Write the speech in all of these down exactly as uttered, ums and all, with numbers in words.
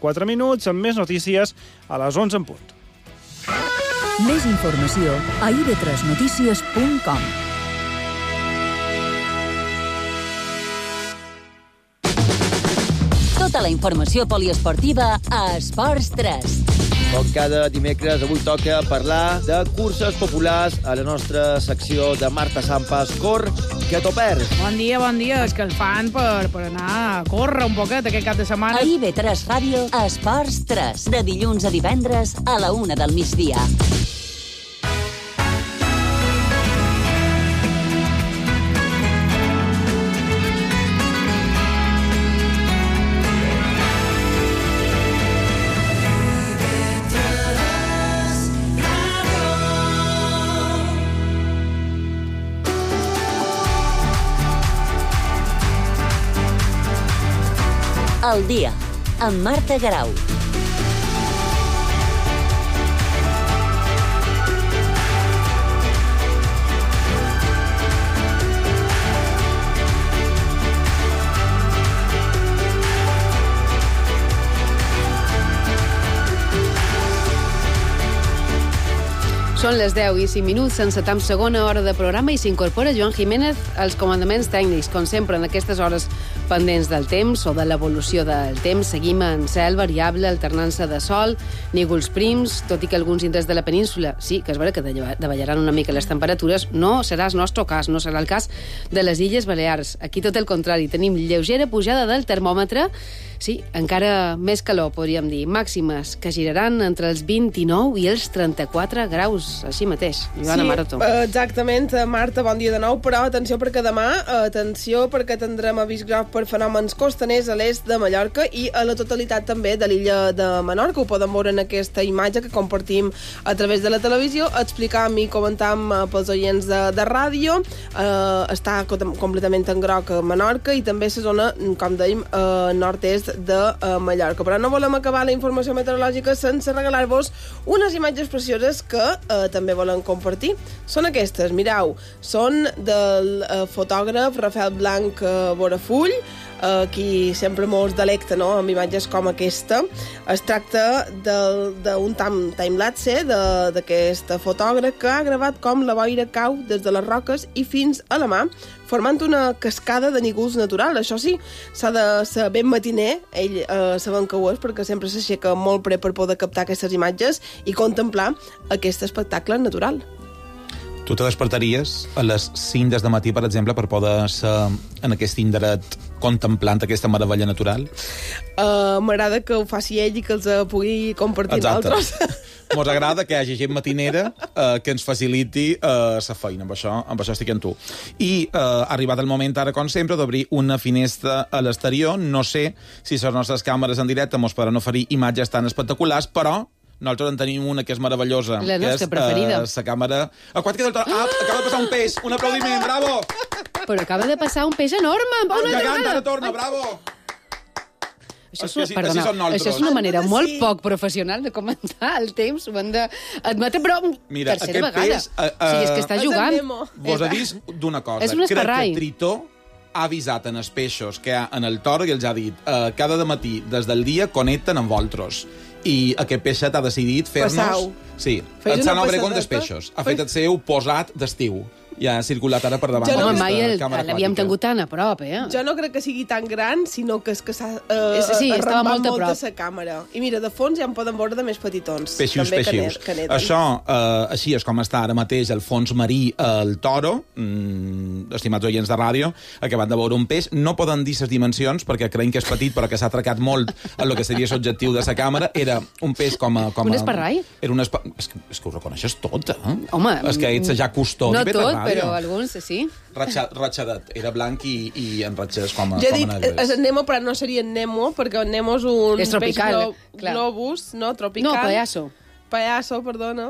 quatre minuts, amb més notícies a les onze en punt. Més informació a i ve tres notícies punt com. Tota la informació poliesportiva a Esports tres. Com cada dimecres, avui toca parlar de curses populars a la nostra secció de Marta Sampas. Cor, que t'ho perds. Bon dia, bon dia. És que el fan per, per anar a córrer un poquet aquest cap de setmana. A i ve tres Ràdio, Esports tres. De dilluns a divendres a la una del migdia. El dia, amb Marta Garau. Són les deu i cinc minuts, encetam segona hora de programa i s'incorpora Joan Jiménez als comandaments tècnics. Com sempre, en aquestes hores pendents del temps o de l'evolució del temps, seguim en cel variable, alternança de sol, nígols prims, tot i que alguns indrets de la península sí que és vera que davallaran una mica les temperatures, no serà el nostre cas, no serà el cas de les Illes Balears. Aquí tot el contrari, tenim lleugera pujada del termòmetre, sí, encara més calor, podríem dir, màximes que giraran entre els vint-i-nou i els trenta-quatre graus, així mateix. Joana Maroto. Sí, exactament, Marta, bon dia de nou, però atenció perquè demà, atenció perquè tindrem avís groc per fenòmens costaners a l'est de Mallorca i a la totalitat també de l'illa de Menorca. Ho poden veure en aquesta imatge que compartim a través de la televisió, explicam i comentam pels oients de, de ràdio. Uh, està completament en groc a Menorca i també la zona, com dèiem, uh, nord-est de uh, Mallorca. Però no volem acabar la informació meteorològica sense regalar-vos unes imatges precioses que uh, també volen compartir. Són aquestes, mireu, són del uh, fotògraf Rafael Blanc uh, Borafull, Uh, qui sempre mos delecta, no?, amb imatges com aquesta. Es tracta d'un timelapse d'aquest fotògraf que ha gravat com la boira cau des de les roques i fins a la mà, formant una cascada de nígols natural. Això sí, s'ha de ser ben matiner, ell eh, sabem que ho és, perquè sempre s'aixeca molt pre per poder captar aquestes imatges i contemplar aquest espectacle natural. Tu te despertaries a les cinc des de matí, per exemple, per poder ser en aquest indret contemplant aquesta meravella natural? Uh, M'agrada que ho faci ell i que els pugui compartir amb altres. Mos agrada que hi hagi gent matinera uh, que ens faciliti la uh, feina. Amb això, amb això estic amb tu. I uh, ha arribat el moment, ara, com sempre, d'obrir una finestra a l'exterior. No sé si les nostres càmeres en directe mos podran oferir imatges tan espectaculars, però nosaltres en tenim una que és meravellosa. La nostra que és, preferida. Uh, la càmera aquàtica del Toro. Ah, acaba de passar un peix. Un aplaudiment, bravo! Però acaba de passar un peix enorme. Una gegant, ara torna, bravo! Això és, és que una, perdona, sí això és una manera molt sí. poc professional de comentar el temps. Ho hem d'admetre, però Mira, tercera vegada. Peix, uh, uh, o sigui, és que està jugant. Vos avís d'una cosa. És un esparrai. Crec que Tritó ha avisat en els peixos que hi ha en el Toro i els ha dit uh, cada matí, des del dia, connecten amb vosaltres. I aquest peixet ha decidit fer-nos... Passau. Sí, el Sant Obregón dels peixos. Ha fet el seu posat d'estiu. Ja ha circulat ara per davant. Jo no, de mai la el, càmera l'havíem aquàtica. tingut tan a prop, eh? Jo no crec que sigui tan gran, sinó que és que s'ha uh, sí, estava molt a molt prop. de la càmera. I mira, de fons ja en poden veure de més petitons. Peixius, també peixius. Que neden. Això, eh, així és com està ara mateix el fons marí el Toro, mm, estimats oients de ràdio, acabat de veure un peix. No poden dir les dimensions, perquè creiem que és petit, però que s'ha atracat molt en el que seria l'objectiu de la càmera. Era un peix com a... Com un a, esparrai? Era un espa... és, que, és que ho reconeixes tot, eh? Home... És que ets ja custodi. No tot, però alguns sí. Ratxa, ratxadet. Era blanc i, i enratxés com a, ja com a dic, negres. és en Nemo, però no seria en Nemo, perquè en Nemo és un és tropical, peix glo globus, no? Tropical. No, payaso. Payaso, perdona.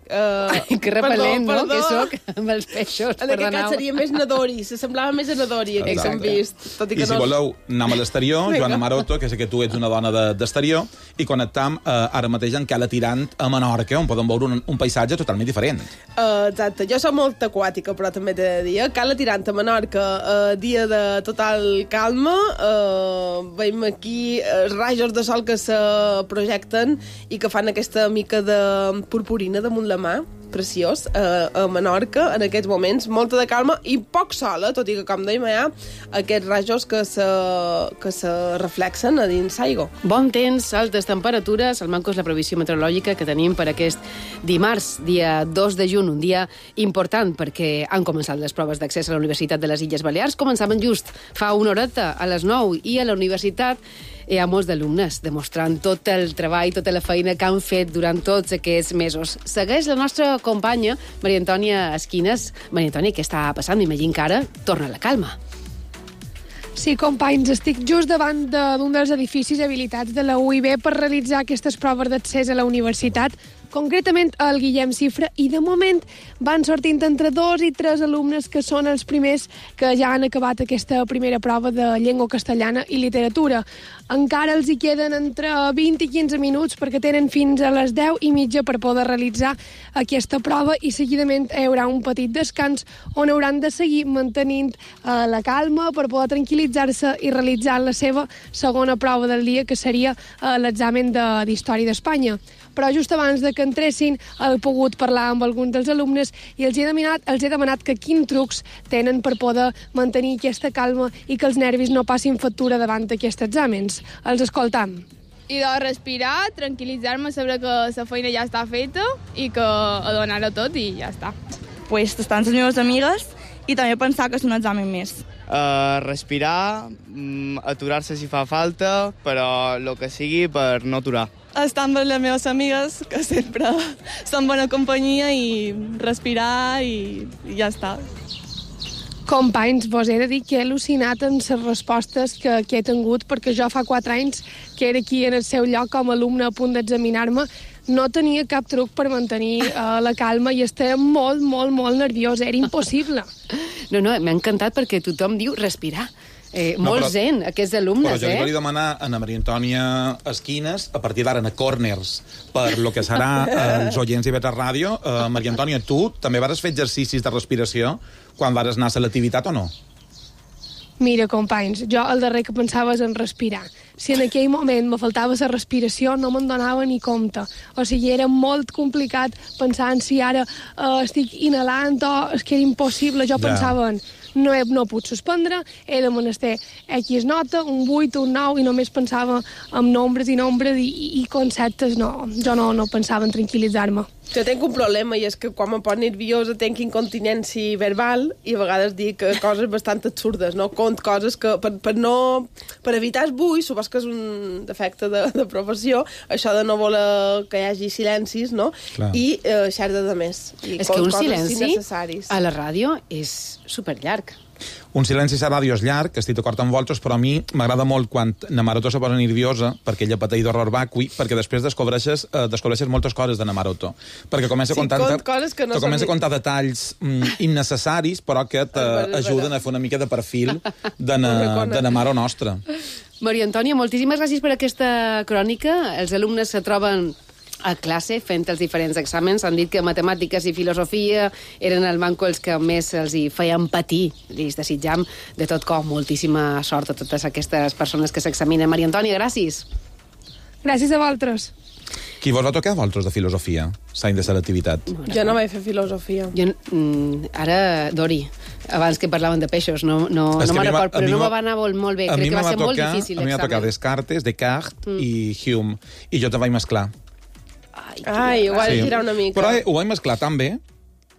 Uh, Ai, que repel·lent, perdó, no?, perdó. que sóc amb els peixos. En aquest cas seria més Nadori, se semblava més a Nadori, aquest que hem vist. Tot i, I que si no... voleu, anem a l'exterior, Vinga. Joana Maroto, que sé que tu ets una dona de- d'exterior, i connectam eh, ara mateix en Cala Tirant a Menorca, on podem veure un, un paisatge totalment diferent. Uh, exacte, jo soc molt aquàtica, però també t'he de dir, eh? Cala Tirant a Menorca, uh, dia de total calma, uh, veiem aquí uh, rajos de sol que se projecten i que fan aquesta mica de purpurina damunt la mà, preciós, uh, a Menorca, en aquests moments, molta de calma i poc sol, eh? Tot i que, com dèiem, hi ha aquests rajos que se, que se reflexen a dins l'aigua. Bon temps, altes temperatures. El manco és la previsió meteorològica que tenim per aquest dimarts, dia dos de juny, un dia important perquè han començat les proves d'accés a la Universitat de les Illes Balears. Començaven just fa una horeta, a les nou, i a la universitat hi ha molts d'alumnes demostrant tot el treball, tota la feina que han fet durant tots aquests mesos. Segueix la nostra companya, Maria Antònia Esquines. Maria Antònia, què està passant? M'imagino que ara torna la calma. Sí, companys, estic just davant d'un dels edificis habilitats de la U I B per realitzar aquestes proves d'accés a la universitat, concretament al Guillem Cifra, i de moment van sortint entre dos i tres alumnes que són els primers que ja han acabat aquesta primera prova de llengua castellana i literatura. Encara els hi queden entre vint i quinze minuts perquè tenen fins a les deu i mitja per poder realitzar aquesta prova i seguidament hi haurà un petit descans on hauran de seguir mantenint eh, la calma per poder tranquil·litzar-se i realitzar la seva segona prova del dia, que seria eh, l'examen de- d'Història d'Espanya. Però just abans de que entressin he pogut parlar amb alguns dels alumnes i els he demanat, els he demanat que quins trucs tenen per poder mantenir aquesta calma i que els nervis no passin factura davant d'aquests exàmens. Els escoltam. I de respirar, tranquil·litzar-me, saber que la feina ja està feta i que a donar-ho tot i ja està. Pues estar amb les meves amigues i també pensar que és un examen més. Uh, respirar, mm, aturar-se si fa falta, però el que sigui per no aturar. Estar amb les meves amigues, que sempre són bona companyia, i respirar i, i ja està. Companys, vos he de dir que he al·lucinat amb les respostes que, que he tingut, perquè jo fa quatre anys que era aquí en el seu lloc com a alumne a punt d'examinar-me, no tenia cap truc per mantenir uh, la calma i estava molt, molt, molt nerviosa. Era impossible. No, no, m'ha encantat perquè tothom diu respirar. Eh, No, molt però- zen, aquests alumnes, Però jo li eh? volia demanar a Maria Antònia Esquines, a partir d'ara, a corners, per lo que serà els oients i Betres Ràdio. Uh, Maria Antònia, tu també vas fer exercicis de respiració quan vas anar a selectivitat o no? Mira, companys, jo el darrer que pensava és en respirar. Si en aquell moment me faltava la respiració, no me'n donava ni compte. O sigui, era molt complicat pensar en si ara eh, estic inhalant o és que era impossible. Jo Ja. pensava en no, he, no puc suspendre, he de menester X nota, un vuit, un nou, i només pensava en nombres i nombres i, i, i conceptes. No, jo no, no pensava en tranquil·litzar-me. Jo tenc un problema i és que quan me poso nerviosa tenc incontinència verbal i a vegades dic coses bastant absurdes, no? Cont coses que per, per no... Per evitar el bull, supos que és un defecte de, de professió, això de no voler que hi hagi silencis, no? Clar. I eh, xerda de més. I És que un coses silenci innecessaris. a la ràdio és superllarg. Un silenci a ràdio és llarg, estic d'acord amb vosaltres, però a mi m'agrada molt quan na Maroto se posa nerviosa perquè ella pateix d'horror vacui, perquè després descobreixes, eh, descobreixes moltes coses de na Maroto. Perquè comença Sí, a contar, cont coses que no te comença són- a contar detalls mm, innecessaris, però que És veritat. t'ajuden a fer una mica de perfil de Ho na, reconec. de na Maro nostra. Maria Antònia, moltíssimes gràcies per aquesta crònica. Els alumnes se troben a classe fent els diferents exàmens. Han dit que matemàtiques i filosofia eren el manco els que més els hi feien patir. Els desitjam de tot cor moltíssima sort a totes aquestes persones que s'examinen. Maria Antònia, gràcies. Gràcies a vosaltres. Qui vos va tocar a vosaltres de filosofia, l'any de selectivitat? Jo no vaig fer filosofia. Jo, mm, ara, Dori, abans que parlaven de peixos, no, no, És no que a me'n mi va- record, a però mi no va- me va anar molt, molt bé. A Crec mi que me va va ser molt tocar, difícil a mi va tocar l'examen. Descartes, Descartes Mm. i Hume, i jo te vaig mesclar. Ai, ho vaig girar una mica. Però eh, ho vaig mesclar tan bé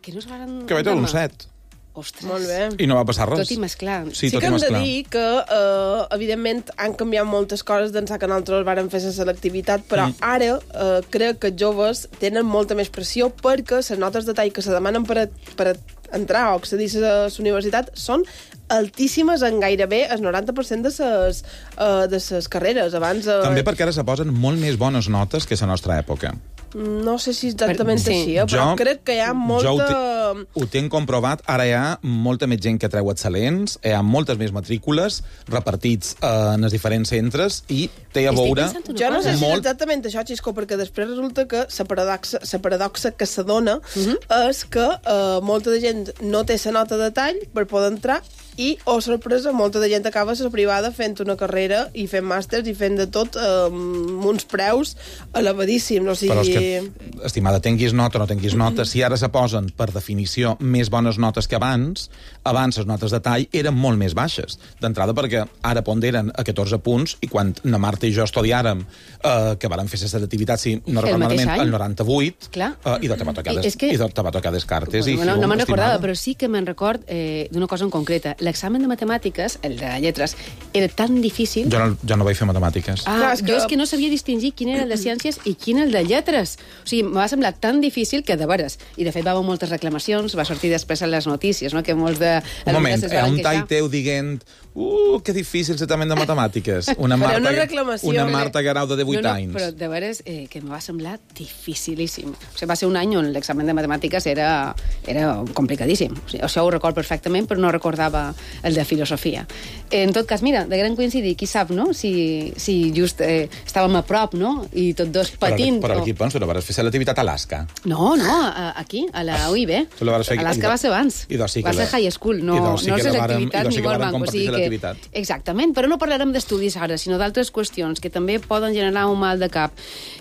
Que no es van... que vaig treure un set. Ostres. Molt bé. I no va passar res. Tot i mesclar. Sí, Sí tot que i hem de mesclar. dir que, eh, evidentment, han canviat moltes coses d'ençà que nosaltres vàrem fer la selectivitat, però Mm. ara eh, crec que els joves tenen molta més pressió perquè les notes de tall que se demanen per, a, per a entrar o accedir a la universitat són altíssimes en gairebé el noranta per cent de les uh, de ses carreres. Abans, uh... També perquè ara se posen molt més bones notes que a la nostra època. No sé si exactament sí. així, eh? però jo, crec que hi ha molta... Jo ho, te, ho tenc comprovat. Ara hi ha molta més gent que treu excel·lents, hi ha moltes més matrícules repartits eh, en els diferents centres i té a veure... Jo no sé si és exactament això, Xisco, perquè després resulta que la paradoxa, la paradoxa que s'adona uh -huh. és que eh, molta de gent no té la nota de tall per poder entrar i, oh sorpresa, molta de gent acaba a la privada fent una carrera i fent màsters i fent de tot eh, amb uns preus elevadíssims. O sigui... Però és que, estimada, tinguis nota o no tinguis nota, si ara se posen, per definició, més bones notes que abans, abans les notes de tall eren molt més baixes. D'entrada perquè ara ponderen a catorze punts i quan na Marta i jo estudiàrem, eh, que vàrem fer la selectivitat, si no recordo malament, el noranta-vuit, eh, i te va tocar, des, que... i te va tocar Descartes. Bueno, i no, no me'n recordava, estimada. però sí que me'n record eh, d'una cosa en concreta. L'examen de matemàtiques, el de lletres, era tan difícil... Jo no, jo no vaig fer matemàtiques. Ah, Clar, és que... jo és que no sabia distingir quin era el de ciències i quin el de lletres. O sigui, em va semblar tan difícil que, de veres, i de fet va haver moltes reclamacions, va sortir després a les notícies, no? Que molts de... Un moment, hi ha un tall teu dient uh, que difícil l'examen de matemàtiques. Una Marta, una reclamació, una Marta Garau de divuit no, no, anys. Però de veres eh, que em va semblar dificilíssim. O sigui, va ser un any on l'examen de matemàtiques era, era complicadíssim. O sigui, això ho record perfectament, però no recordava el de filosofia. En tot cas, mira, de gran coincidir, qui sap, no?, si, si just eh, estàvem a prop, no?, i tots dos patint... Però, però o... aquí, penso, no vas fer selectivitat a Alaska. No, no, a, aquí, a la U I B. Alaska va ser abans. Sí va ser high school, no, sí no que selectivitat vàrem, ni molt banc. O sigui que... Exactament, però no parlarem d'estudis ara, sinó d'altres qüestions que també poden generar un mal de cap.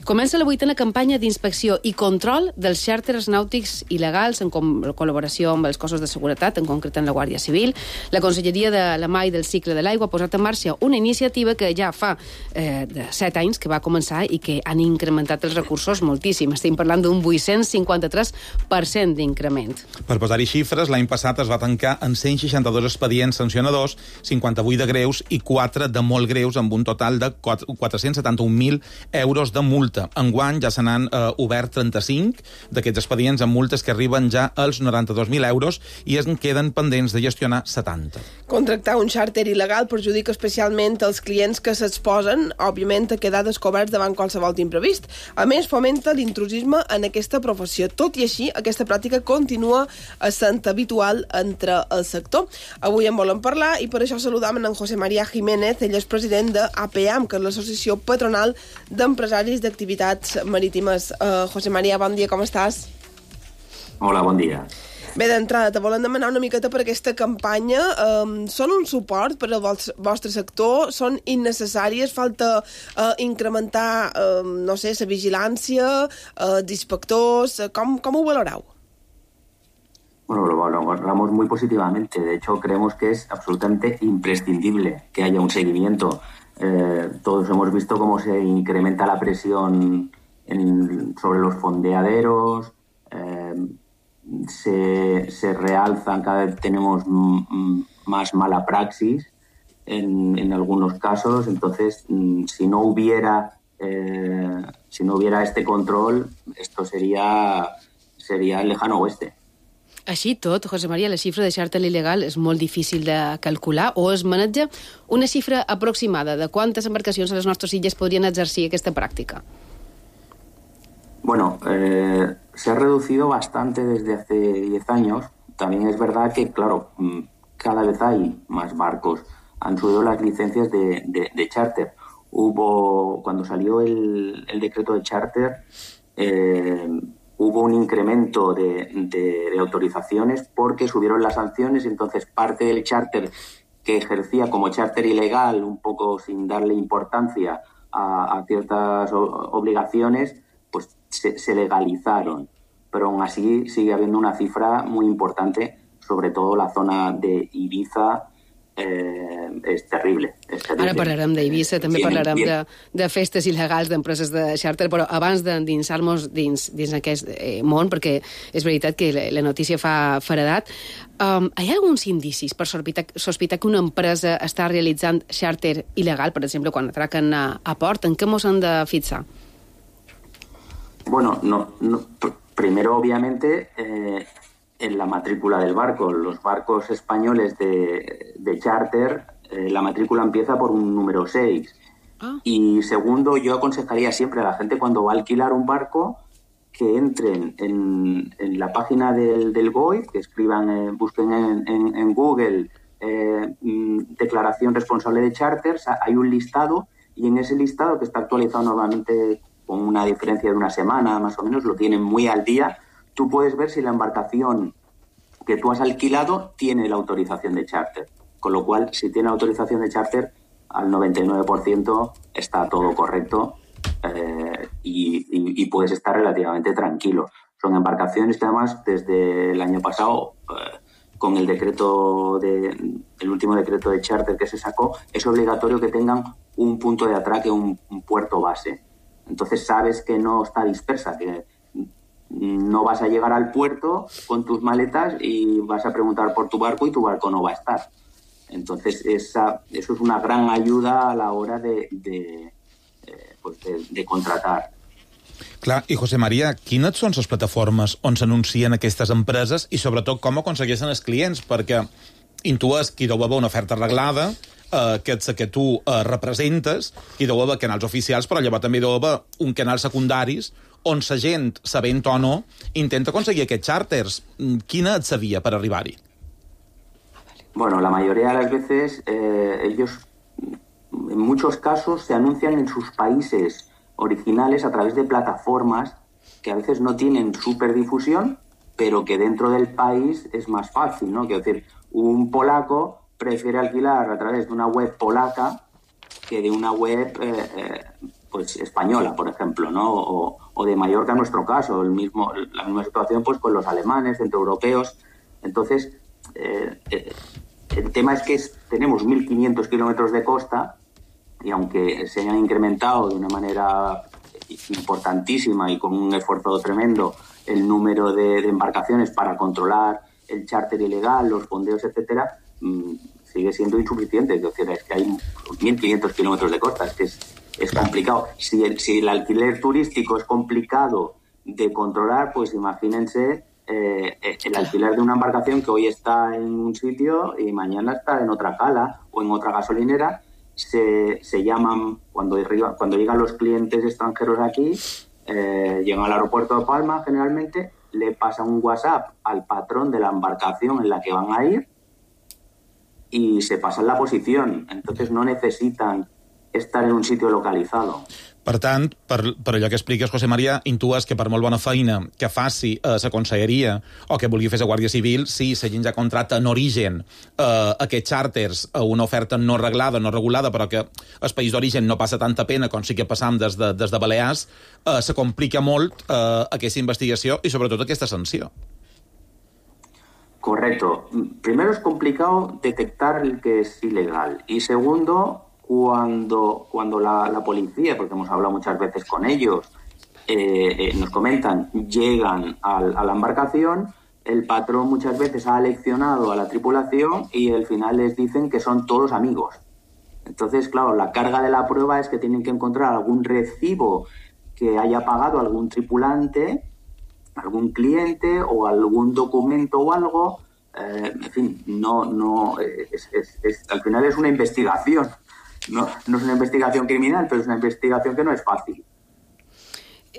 Comença la vuitena campanya d'inspecció i control dels xàrters nàutics il·legals en col·laboració amb els cossos de seguretat, en concret en la Guàrdia Civil. La Conselleria de la Mar i del Cicle de l'Aigua ha posat en marxa una iniciativa que ja fa eh, de set anys que va començar i que han incrementat els recursos moltíssim. Estem parlant d'un vuit-cents cinquanta-tres per cent d'increment. Per posar-hi xifres, l'any passat es va tancar en cent seixanta-dos expedients sancionadors, cinquanta-vuit de greus i quatre de molt greus, amb un total de quatre-cents setanta-un mil euros de multa. Enguany ja se n'han eh, obert trenta-cinc d'aquests expedients amb multes que arriben ja als noranta-dos mil euros i en queden pendents de gestionar setanta. Contractar un xàrter il·legal perjudica especialment els clients que s'exposen, òbviament, a quedar descoberts davant qualsevol imprevist. A més, fomenta l'intrusisme en aquesta professió. Tot i així, aquesta pràctica continua sent habitual entre el sector. Avui en volem parlar i per això saludam en José María Jiménez, ell és president de A P A M, que és l'Associació Patronal d'Empresaris d'Activitats Marítimes. Uh, José María, bon dia, com estàs? Hola, bon dia. Bé, d'entrada, te volem demanar una miqueta per aquesta campanya. Um, són un suport per al vostre sector? Són innecessàries? Falta uh, incrementar, uh, no sé, la vigilància, uh, d'inspectors? Com, com ho valoreu? Bueno, lo valoramos muy positivamente. De hecho, creemos que es absolutamente imprescindible que haya un seguimiento. Eh, todos hemos visto cómo se incrementa la presión en, sobre los fondeaderos, eh, se, se realzan, cada vez tenemos m- más mala praxis en, en algunos casos. Entonces, m- si no hubiera eh, si no hubiera este control, esto sería, sería el lejano oeste. Així tot, José María, la xifra de xàrter il·legal és molt difícil de calcular, o es maneja una xifra aproximada de quantes embarcacions a les nostres illes podrien exercir aquesta pràctica? Bueno, eh, se ha reducido bastante desde hace diez años. También es verdad que, claro, cada vez hay más barcos. Han subido las licencias de, de, de charter. Hubo, cuando salió el, el decreto de charter, eh, hubo un incremento de, de, de autorizaciones porque subieron las sanciones y entonces parte del charter que ejercía como charter ilegal, un poco sin darle importancia a, a ciertas o, obligaciones, pues se, se legalizaron. Pero aún así sigue habiendo una cifra muy importante, sobre todo la zona de Ibiza. Eh, és terrible, és terrible. Ara parlarem d'Eivissa, també parlarem de, de festes il·legals d'empreses de xàrter, però abans d'endinsar-nos dins, dins aquest eh, món, perquè és veritat que la, la notícia fa feredat, um, hi ha alguns indicis per sospitar, sospitar que una empresa està realitzant xàrter il·legal, per exemple, quan atraquen a, a port? En què mos han de fixar? Bueno, no, no, primero, obviamente, eh, en la matrícula del barco. Los barcos españoles de, de charter, eh, la matrícula empieza por un número seis. Ah. Y segundo, yo aconsejaría siempre a la gente cuando va a alquilar un barco que entren en, en la página del, del B O I, que escriban, eh, busquen en, en, en Google eh, declaración responsable de charters, hay un listado, y en ese listado, que está actualizado normalmente con una diferencia de una semana más o menos, lo tienen muy al día, tú puedes ver si la embarcación que tú has alquilado tiene la autorización de charter. Con lo cual, si tiene autorización de charter, al noventa y nueve por ciento está todo correcto eh, y, y, y puedes estar relativamente tranquilo. Son embarcaciones que además desde el año pasado, eh, con el decreto de, el último decreto de charter que se sacó, es obligatorio que tengan un punto de atraque, un, un puerto base. Entonces sabes que no está dispersa, que no vas a llegar al puerto con tus maletas y vas a preguntar por tu barco y tu barco no va a estar. Entonces esa, eso es una gran ayuda a la hora de, de, eh, pues de, de contratar. Clar, i José María, quines són les plataformes on s'anuncien aquestes empreses i sobretot com aconsegueixen els clients? Perquè intues que hi deu haver una oferta reglada, eh, que ets que tu eh, representes, hi deu haver canals oficials, però llavors també hi deu haver un canal secundaris on la gent, sabent o no, intenta aconseguir aquests charters. Quina et sabia per arribar-hi? Bueno, la mayoría de las veces eh, ellos, en muchos casos, se anuncian en sus países originales a través de plataformas que a veces no tienen superdifusión, pero que dentro del país es más fácil, ¿no? Quiero decir, un polaco prefiere alquilar a través de una web polaca que de una web eh, eh, pues española, por ejemplo, ¿no? O, o de Mallorca en nuestro caso, el mismo, la misma situación pues con los alemanes, centroeuropeos. Entonces, eh, eh, el tema es que es, tenemos mil quinientos kilómetros de costa y aunque se hayan incrementado de una manera importantísima y con un esfuerzo tremendo el número de, de embarcaciones para controlar el charter ilegal, los fondeos, etcétera, mmm, sigue siendo insuficiente. Es decir, es que hay mil quinientos kilómetros de costa, es que es, es complicado. Si el, si el alquiler turístico es complicado de controlar, pues imagínense eh, el alquiler de una embarcación que hoy está en un sitio y mañana está en otra cala o en otra gasolinera. Se, se llaman, cuando, cuando llegan los clientes extranjeros aquí, eh, llegan al aeropuerto de Palma generalmente, le pasan un WhatsApp al patrón de la embarcación en la que van a ir y se pasan la posición. Entonces no necesitan estar en un sitio localizado. Per tant, per, per allò que expliques, José María, intues que per molt bona feina que faci eh, la conselleria o que vulgui fer la Guàrdia Civil, si la gent ja contracta en origen eh, aquests charters a una oferta no reglada, no regulada, però que el país d'origen no passa tanta pena com sí que passam des de, des de Balears, eh, se complica molt eh, aquesta investigació i sobretot aquesta sanció. Correcto. Primero es complicado detectar el que es ilegal y segundo, Cuando, cuando la, la policía, porque hemos hablado muchas veces con ellos, eh, eh, nos comentan, llegan al, a la embarcación, el patrón muchas veces ha aleccionado a la tripulación y al final les dicen que son todos amigos. Entonces, claro, la carga de la prueba es que tienen que encontrar algún recibo que haya pagado algún tripulante, algún cliente o algún documento o algo. Eh, en fin, no, no, es, es, es, al final es una investigación. No, no és una investigació criminal, però és una investigació que no és fàcil.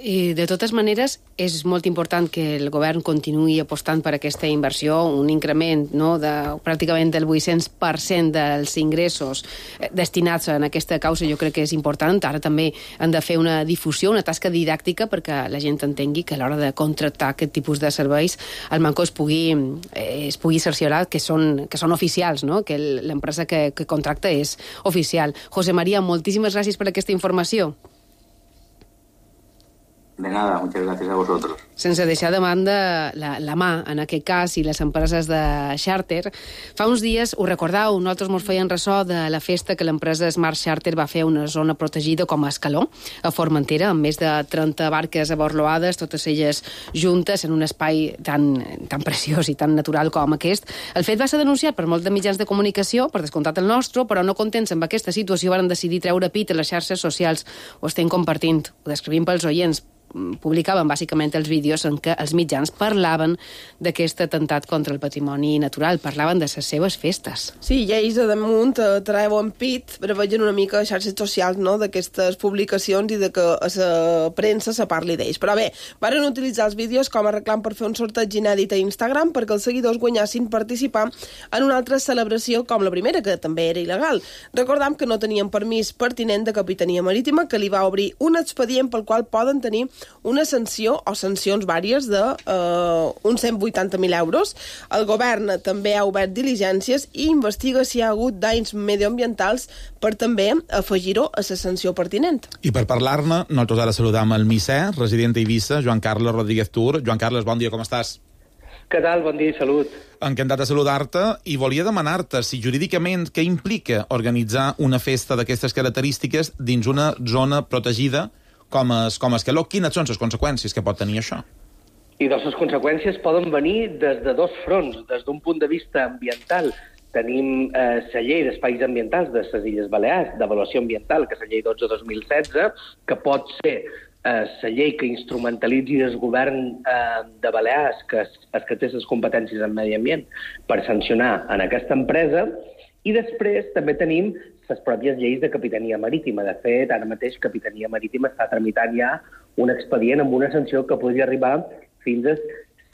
I de totes maneres, és molt important que el govern continuï apostant per aquesta inversió, un increment no, de pràcticament del vuit-cents per cent dels ingressos destinats en aquesta causa. Jo crec que és important. Ara també han de fer una difusió, una tasca didàctica perquè la gent entengui que a l'hora de contractar aquest tipus de serveis el Manco es pugui, eh, es pugui cerciorar que són, que són oficials, no? Que l'empresa que, que contracta és oficial. José María, moltíssimes gràcies per aquesta informació. De nada, muchas gracias a vosotros. Sense deixar de banda la, la mà, en aquest cas, i les empreses de xàrter. Fa uns dies, ho recordau, nosaltres mos feien ressò de la festa que l'empresa Smart Charter va fer a una zona protegida com a Escaló, a Formentera, amb més de trenta barques aborloades, totes elles juntes en un espai tan, tan preciós i tan natural com aquest. El fet va ser denunciat per molts de mitjans de comunicació, per descomptat el nostre, però no contents amb aquesta situació van decidir treure pit a les xarxes socials. Ho estem compartint, ho descrivim pels oients. Publicaven bàsicament els vídeos vídeos en què els mitjans parlaven d'aquest atemptat contra el patrimoni natural, parlaven de les seves festes. Sí, i ells a damunt eh, treuen pit, però veien una mica a xarxes socials, no?, d'aquestes publicacions i de que a la premsa se parli d'ells. Però bé, varen utilitzar els vídeos com a reclam per fer un sorteig inèdit a Instagram perquè els seguidors guanyassin participar en una altra celebració com la primera, que també era il·legal. Recordam que no tenien permís pertinent de Capitania Marítima, que li va obrir un expedient pel qual poden tenir una sanció o sancions vàries de eh, uns cent vuitanta mil euros. El govern també ha obert diligències i investiga si hi ha hagut danys medioambientals per també afegir-ho a la sanció pertinent. I per parlar-ne, nosaltres ara saludam el Misser, resident a Eivissa, Joan Carles Rodríguez Tur. Joan Carles, bon dia, com estàs? Què tal? Bon dia i salut. Encantat de saludar-te i volia demanar-te si jurídicament què implica organitzar una festa d'aquestes característiques dins una zona protegida com es, com Escaló. Quines són les conseqüències que pot tenir això? I doncs les conseqüències poden venir des de dos fronts. Des d'un punt de vista ambiental, tenim eh, la llei d'espais ambientals de les Illes Balears, d'avaluació ambiental, que és la llei dotze dos mil setze, que pot ser eh, la llei que instrumentalitzi el govern eh, de Balears, que és, és que té les competències en medi ambient, per sancionar en aquesta empresa. I després també tenim les pròpies lleis de Capitania Marítima. De fet, ara mateix Capitania Marítima està tramitant ja un expedient amb una sanció que podria arribar fins a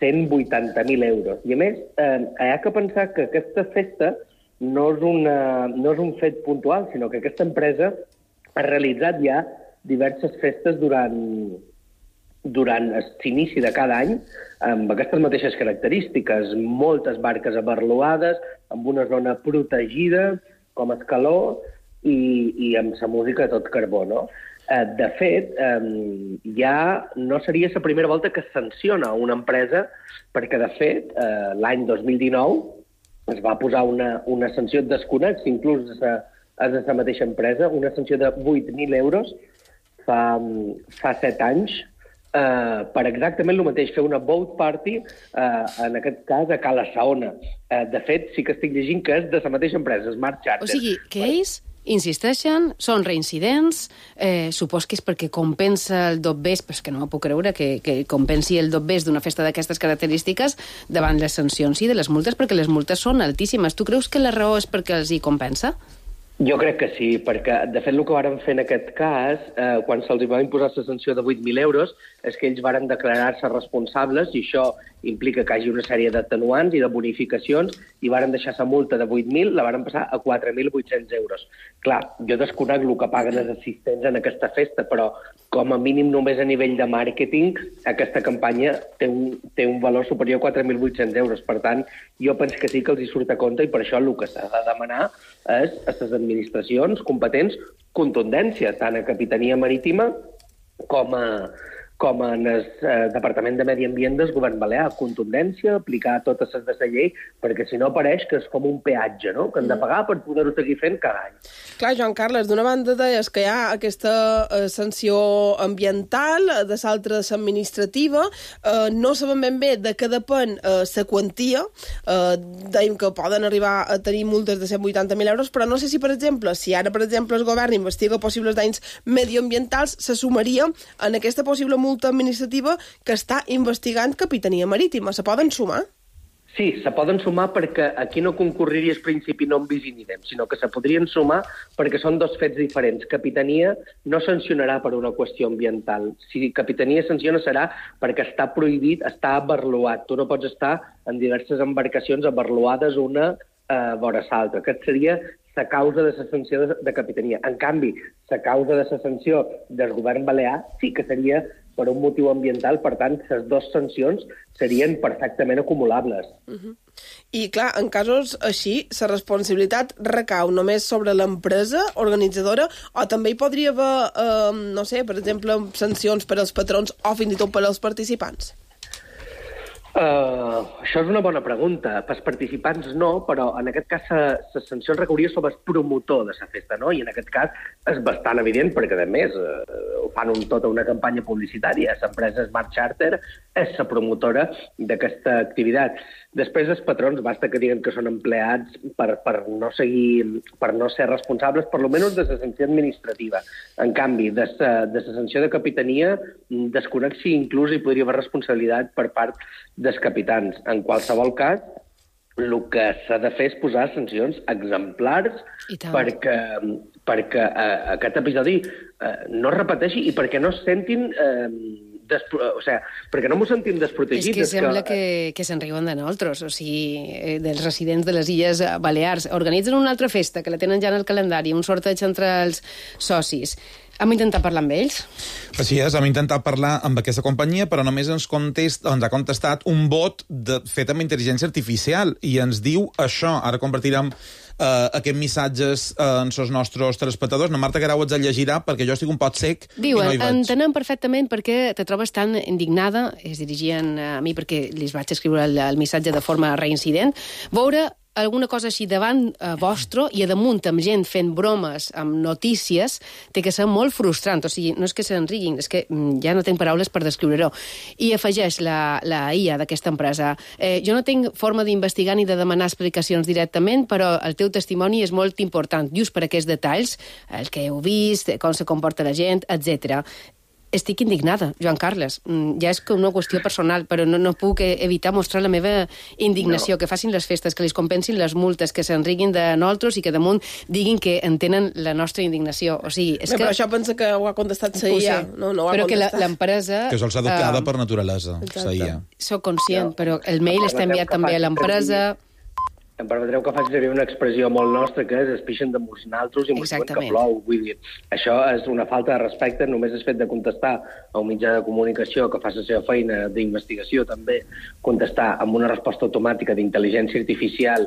cent vuitanta mil euros. I a més, eh, hi ha que pensar que aquesta festa no és, una, no és un fet puntual, sinó que aquesta empresa ha realitzat ja diverses festes durant, durant l'inici de cada any, amb aquestes mateixes característiques, moltes barques abarloades, amb una zona protegida, com Escaló, i, i amb la música a tot carbó, no? De fet, ja no seria la primera volta que es sanciona una empresa, perquè, de fet, l'any dos mil dinou es va posar una, una sanció desconec, inclús a la mateixa empresa, una sanció de vuit mil euros fa, fa set anys, eh, per exactament el mateix, fer una boat party, eh, en aquest cas a Cala Saona. Eh, de fet, sí que estic llegint que és de la mateixa empresa, Smart Charter. O sigui, que ells insisteixen, són reincidents, eh, supos que és perquè compensa el dobbers, però és que no m'ho puc creure que, que compensi el dobbers d'una festa d'aquestes característiques davant les sancions i de les multes, perquè les multes són altíssimes. Tu creus que la raó és perquè els hi compensa? Jo crec que sí, perquè, de fet, el que varen fer en aquest cas, eh, quan se'ls va imposar la sanció de vuit mil euros, és que ells varen declarar-se responsables, i això implica que hi hagi una sèrie d'atenuants i de bonificacions, i varen deixar la multa de vuit mil, la varen passar a quatre mil vuit-cents euros. Clar, jo desconec el que paguen els assistents en aquesta festa, però com a mínim només a nivell de màrqueting, aquesta campanya té un, té un valor superior a quatre mil vuit-cents euros. Per tant, jo penso que sí que els hi surt a compte, i per això el que s'ha de demanar és a les administracions competents contundència, tant a Capitania Marítima com a, com en el eh, Departament de Medi Ambient del Govern Balear. Contundència, aplicar totes les de la llei, perquè si no pareix que és com un peatge, no?, que hem de pagar per poder-ho seguir fent cada any. Clar, Joan Carles, d'una banda deies que hi ha aquesta eh, sanció ambiental, de l'altra administrativa, eh, no sabem ben bé de què depèn la eh, quantia, eh, dèiem que poden arribar a tenir multes de cent vuitanta mil euros, però no sé si, per exemple, si ara, per exemple, el govern investiga possibles danys medioambientals, se sumaria en aquesta possible multa administrativa que està investigant Capitania Marítima. Se poden sumar? Sí, se poden sumar perquè aquí no concorreria el principi non bis in idem, sinó que se podrien sumar perquè són dos fets diferents. Capitania no sancionarà per una qüestió ambiental. Si Capitania sanciona serà perquè està prohibit, està abarloat. Tu no pots estar en diverses embarcacions abarloades una eh, vora l'altra. Aquest seria la causa de la sanció de, de Capitania. En canvi, la causa de la sanció del govern balear sí que seria per un motiu ambiental, per tant, les dues sancions serien perfectament acumulables. Uh-huh. I, clar, en casos així, la responsabilitat recau només sobre l'empresa organitzadora o també hi podria haver, eh, no sé, per exemple, sancions per als patrons o fins i tot per als participants? Uh, això és una bona pregunta. Pels participants no, però en aquest cas la sanció es recauria sobre el promotor de la festa, no? I en aquest cas és bastant evident, perquè a més uh, ho fan un, tota una campanya publicitària. L'empresa Smart Charter és la promotora d'aquesta activitat. Després els patrons basta que diguen que són empleats per, per, no, seguir, per no ser responsables, per lo menys de la sanció administrativa. En canvi, de la de sanció de capitania desconec si inclús hi podria haver responsabilitat per part dels capitans. En qualsevol cas, el que s'ha de fer és posar sancions exemplars perquè, perquè eh, aquest episodi eh, no es repeteixi i perquè no es sentin... Eh, Despro... O sigui, perquè no m'ho sentim desprotegits. És que sembla que, que se'n riuen de nosaltres, o sigui, dels residents de les Illes Balears. Organitzen una altra festa, que la tenen ja en el calendari, un sorteig entre els socis. Hem intentat parlar amb ells? Així és, hem intentat parlar amb aquesta companyia, però només ens, contest, ens ha contestat un bot de, fet amb intel·ligència artificial, i ens diu això. Ara compartirem Uh, aquests missatges uh, en els nostres telespectadors. Na Marta Guerau ens el llegirà perquè jo estic un pot sec Diuen, i no hi veig. Entenem perfectament perquè te trobes tan indignada, es dirigien a mi perquè li vaig escriure el, el missatge de forma reincident, veure alguna cosa així davant eh, vostre i a damunt amb gent fent bromes amb notícies té que ser molt frustrant. O sigui, no és que se'n riguin, és que mm, ja no tinc paraules per descriure-ho. I afegeix la, la I A d'aquesta empresa. Eh, jo no tinc forma d'investigar ni de demanar explicacions directament, però el teu testimoni és molt important, just per aquests detalls, el que heu vist, com se comporta la gent, etcètera. Estic indignada, Joan Carles. Ja és una qüestió personal, però no, no puc evitar mostrar la meva indignació. No. Que facin les festes, que li compensin les multes, que se'n riguin de nosaltres i que damunt diguin que entenen la nostra indignació. O sigui, és Bé, que... Però això pensa que ho ha contestat la I A. No, no ho ha però contestat. que l'empresa... Que se'ls ha educada uh, per naturalesa, la I A. Soc conscient, no. Però el mail està enviat també a l'empresa... Em permetreu que faci servir una expressió molt nostra, que és es pixen de molts naltros i mos diuen que plou. Vull dir, això és una falta de respecte, només és fet de contestar a un mitjà de comunicació que fa la seva feina d'investigació, també contestar amb una resposta automàtica d'intel·ligència artificial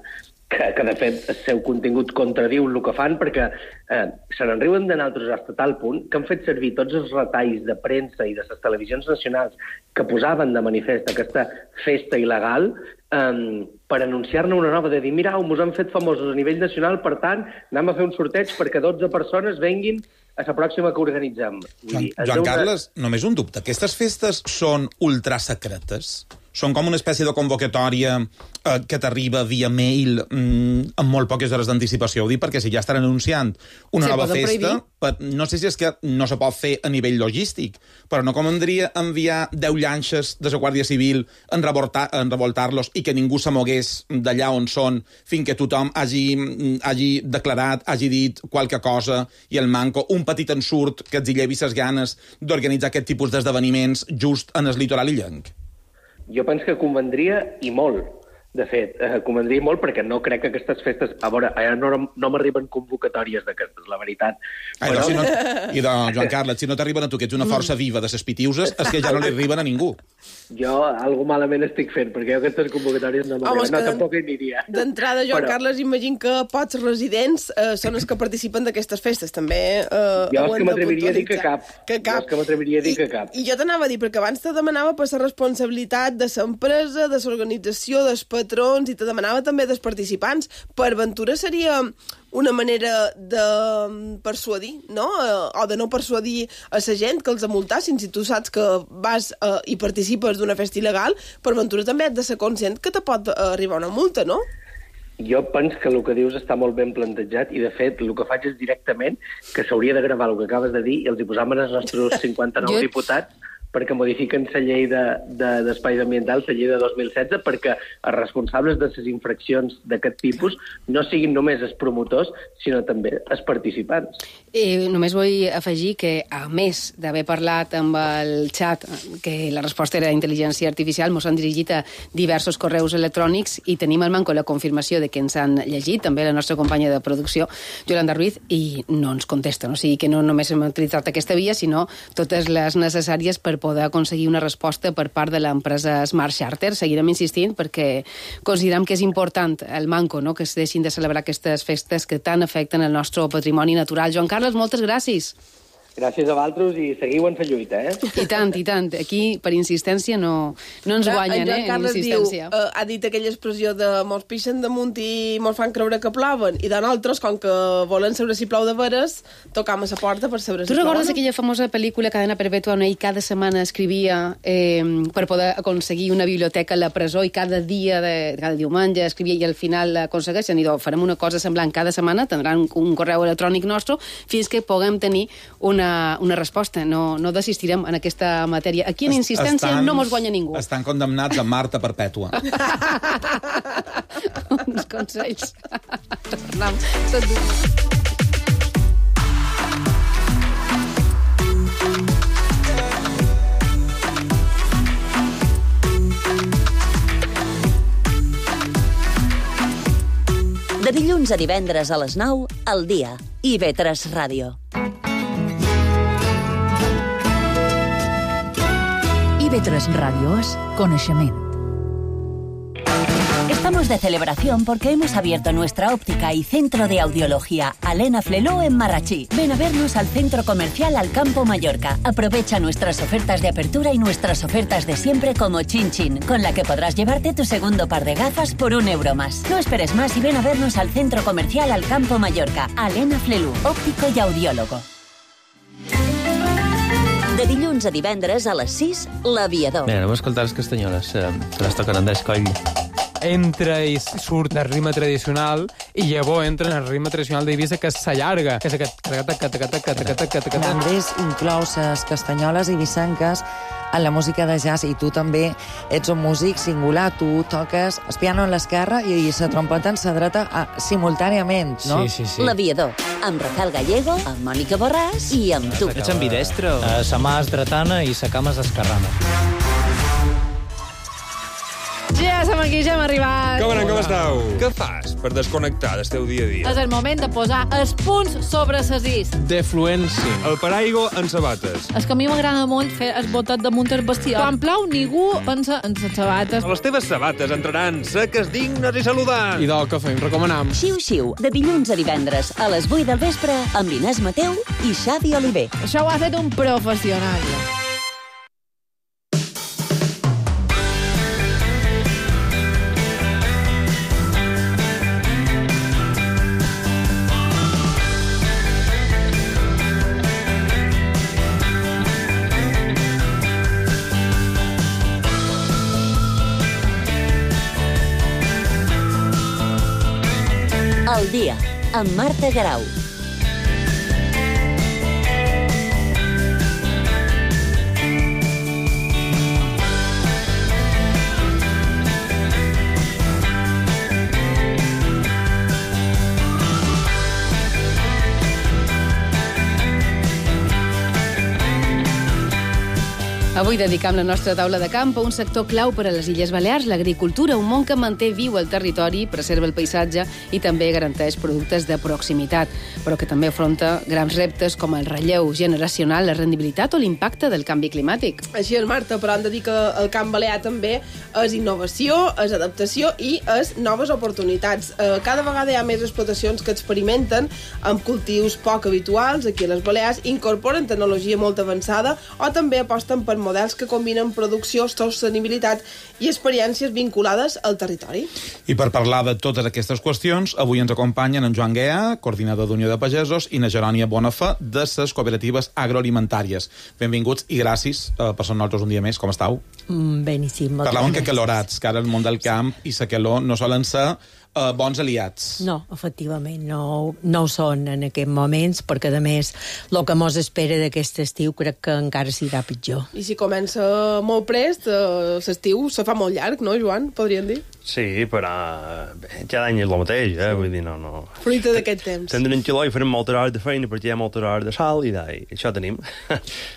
que, que de fet el seu contingut contradiu el que fan, perquè eh, se n'enriuen de nosaltres fins a tal punt que han fet servir tots els retalls de premsa i de les televisions nacionals que posaven de manifest aquesta festa il·legal Um, per anunciar-ne una nova, de dir, mira, mos han fet famosos a nivell nacional, per tant, anem a fer un sorteig perquè dotze persones venguin a la pròxima que organitzem. Joan, dir, Joan una... Carles, només un dubte. Aquestes festes són ultrasecretes? Són com una espècie de convocatòria eh, que t'arriba via mail mm, amb molt poques hores d'anticipació. Ho dic perquè si ja estan anunciant una sí, nova festa, per, no sé si és que no se pot fer a nivell logístic, però no convendria enviar deu llanxes de la Guàrdia Civil en, revoltar, en revoltar-los i que ningú se mogués d'allà on són fins que tothom hagi, hagi declarat, hagi dit qualque cosa i el manco un petit ensurt que els hi llevi ses ganes d'organitzar aquest tipus d'esdeveniments just en el litoral illenc. Jo penso que convendria i molt. De fet, eh, convendria molt perquè no crec que aquestes festes... A veure, no, no m'arriben convocatòries d'aquestes, la veritat. Ai, però... no, si no... I de Joan Carles, si no t'arriben a tu, que ets una força viva de ses pitiuses, és que ja no li arriben a ningú. Jo algo malament estic fent, perquè jo aquestes convocatòries no m'arriben. No, tampoc hi aniria. D'entrada, Joan però... Carles, imagino que pocs residents eh, són els que participen d'aquestes festes, també. Eh, jo és que m'atreviria a dir que cap. Que cap. Jo és que m'atreviria a dir I, que cap. I jo t'anava a dir, perquè abans te demanava per la responsabilitat de l'empresa, de l'organització, dels patrons, i te demanava també dels participants. Per ventura seria una manera de persuadir, no? O de no persuadir a la gent que els amultassin. Si tu saps que vas eh, i participes d'una festa il·legal, per ventura també has de ser conscient que te pot arribar una multa, no? Jo penso que el que dius està molt ben plantejat i, de fet, el que faig és directament que s'hauria de gravar el que acabes de dir i els hi posàvem els nostres cinquanta-nou diputats perquè modifiquen la llei d'espais de, ambientals, la llei de dos mil setze, perquè els responsables de les infraccions d'aquest tipus no siguin només els promotors, sinó també els participants. Eh, només vull afegir que, a més d'haver parlat amb el xat, que la resposta era intel·ligència artificial, ens han dirigit a diversos correus electrònics i tenim al manco la confirmació de que ens han llegit, també la nostra companya de producció, Yolanda Ruiz, i no ens contesten. O sigui que no només hem utilitzat aquesta via, sinó totes les necessàries per poder aconseguir una resposta per part de l'empresa Smart Charter. Seguirem insistint perquè considerem que és important el manco, no?, que es deixin de celebrar aquestes festes que tant afecten el nostre patrimoni natural. Joan Carles, moltes gràcies. Gràcies a vosaltres i seguiu en la lluita, eh? I tant, i tant. Aquí, per insistència, no, no ens guanyen, en eh, en insistència. Diu, uh, ha dit aquella expressió de mos pixen damunt i mos fan creure que ploven, i de nosaltres, com que volen saber si plou de veres, tocam a la porta per saber si tu plou. Tu recordes no? aquella famosa pel·lícula Cadena Perpètua on ell cada setmana escrivia eh, per poder aconseguir una biblioteca a la presó i cada dia, de, cada diumenge escrivia i al final aconsegueixen i do, farem una cosa semblant cada setmana, tindran un, un correu electrònic nostre fins que puguem tenir una una resposta, no, no desistirem en aquesta matèria. Aquí en insistència estan, no mos guanya ningú. Estan condemnats a Marta Perpètua. Uns consells. Tornem. De dilluns a divendres a les nou, al dia. I ve tres Ràdio. I ve tres Radio es coneixement. Estamos de celebración porque hemos abierto nuestra óptica y centro de audiología Alena Fleló en Marrachí. Ven a vernos al centro comercial Alcampo Mallorca. Aprovecha nuestras ofertas de apertura y nuestras ofertas de siempre como Chin Chin, con la que podrás llevarte tu segundo par de gafas por un euro más. No esperes más y ven a vernos al centro comercial Alcampo Mallorca. Alena Fleló, óptico y audiólogo. De dilluns a divendres a les sis, l'Aviador. Mira, anem a escoltar les castanyoles, eh, que les toquen Andrés Coll. Entra i surt el ritme tradicional i llavors entra en el ritme tradicional d'Eivissa, que s'allarga, que és aquest... Andrés inclou les castanyoles eivissenques en la música de jazz i tu també ets un músic singular, tu toques el piano en l'esquerra i la trompeta en la dreta a, simultàniament, no? Sí, sí, sí. L'Aviador, amb Rafael Gallego, amb Mònica Borràs i amb tu. Ets ambidestre? Uh, sa mà és dretana i sa cama és esquerrana. Ja som aquí, ja hem arribat. Com anem, com esteu? Què fas per desconnectar del teu dia a dia? És el moment de posar els punts sobre ses is. Defluència. El paraigua en sabates. És que a mi m'agrada molt fer el botet damunt el vestidor. Quan plou, ningú pensa en les sabates. Les teves sabates entraran seques, dignes i saludants. I del que fem, recomanam. Xiu-xiu, de dilluns a divendres a les vuit del vespre amb Inés Mateu i Xavi Oliver. Això ho ha fet un professional. Al dia, amb Marta Garau. Avui dedicam la nostra taula de camp a un sector clau per a les Illes Balears, l'agricultura, un món que manté viu el territori, preserva el paisatge i també garanteix productes de proximitat, però que també afronta grans reptes com el relleu generacional, la rendibilitat o l'impacte del canvi climàtic. Així és, Marta, però hem de dir que el camp balear també és innovació, és adaptació i és noves oportunitats. Cada vegada hi ha més explotacions que experimenten amb cultius poc habituals aquí a les Balears, incorporen tecnologia molt avançada o també aposten per models que combinen producció, sostenibilitat i experiències vinculades al territori. I per parlar de totes aquestes qüestions, avui ens acompanyen en Joan Guea, coordinador d'Unió de Pagesos, i na Jerònia Bonafà, de les cooperatives agroalimentàries. Benvinguts i gràcies uh, per ser nosaltres un dia més. Com estàu? Mm, beníssim. Parlàvem que calorats, que ara el món del camp i la calor no solen ser uh, bons aliats. No, efectivament, no, no ho són en aquests moments, perquè, a més, el que mos espera d'aquest estiu crec que encara serà pitjor. I si comença molt prest, eh, l'estiu se fa molt llarg, no, Joan? Podríem dir? Sí, però bé, cada any és el mateix, eh? Vull dir, no, no... Fruita d'aquest temps. Tindrem un quilò i farem moltes hores de feina perquè hi ha moltes hores de sol i, i això tenim.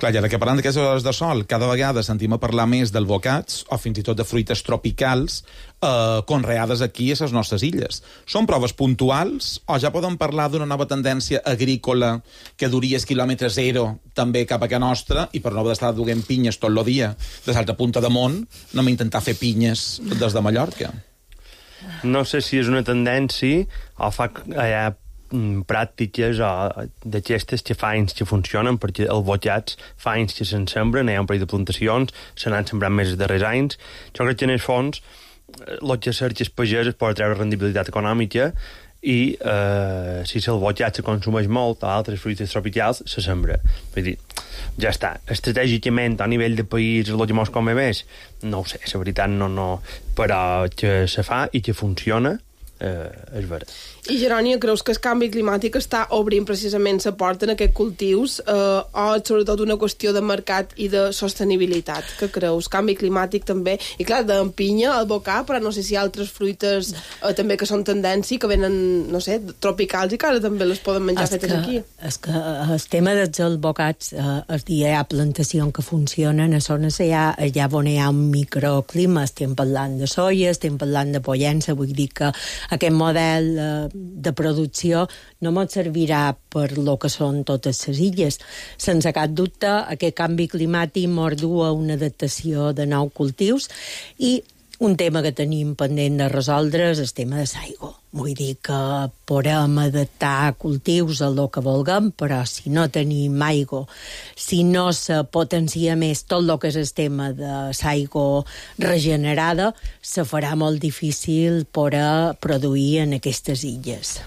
Clar, i ara que parlant d'aquestes hores de sol, cada vegada sentim a parlar més d'albocats o fins i tot de fruites tropicals eh, conreades aquí a les nostres illes. Són proves puntuals o ja podem parlar d'una nova tendència agrícola que duria el quilòmetre zero també cap a casa nostra i per no haver d'estar duent pinyes tot el dia de l'altra punta de món, anem a intentar fer pinyes des de Mallorca? No sé si és una tendència o fa, hi ha pràctiques o d'aquestes que fa anys que funcionen, perquè els botxats fa anys que se'n sembren, hi ha un parell de plantacions, se n'han sembrat més els darrers anys. Jo crec que en el fons el que cerca el pagès és poder treure rendibilitat econòmica i eh, si el botxat se consumeix molt o altres fruites tropicals, se sembra. Vull dir, ja està. Estratègicament, a nivell de país, el que mos come més, no ho sé, la veritat no, no, però que se fa i que funciona, eh, és vera. I, Jeroni, creus que el canvi climàtic està obrint precisament la porta en aquests cultius eh, o sobretot una qüestió de mercat i de sostenibilitat? Què creus? Canvi climàtic també? I clar, de pinya, albocar, però no sé si hi ha altres fruites eh, també que són tendència, que venen, no sé, tropicals i que ara també les poden menjar es fetes que, aquí. És que el tema dels albocats, eh, el dia hi ha plantacions que funcionen, a zones allà, allà on hi ha un microclima, estem parlant de soia, estem parlant de pollença, vull dir que aquest model eh, de producció no ens servirà per lo que són totes les illes. Sense cap dubte, aquest canvi climàtic mordu a una adaptació de nous cultius i un tema que tenim pendent de resoldre és el tema de l'aigua. Vull dir que podem adaptar cultius a lo que vulguem, però si no tenim aigua, si no se potencia més tot el que és el tema de l'aigua regenerada, se farà molt difícil poder produir en aquestes illes.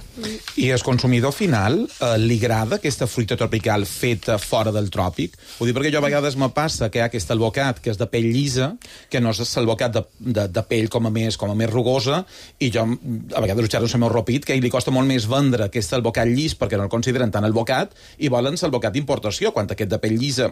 I al consumidor final eh, li agrada aquesta fruita tropical feta fora del tròpic? Ho dic perquè jo a vegades me passa que hi ha aquest albocat que és de pell llisa, que no és l'albocat de, de, de pell com a més, com a més rugosa, i jo a vegades ho xerro amb el meu ropit, que li costa molt més vendre aquest albocat llis perquè no el consideren tan albocat i volen l'albocat d'importació, quan aquest de pell llisa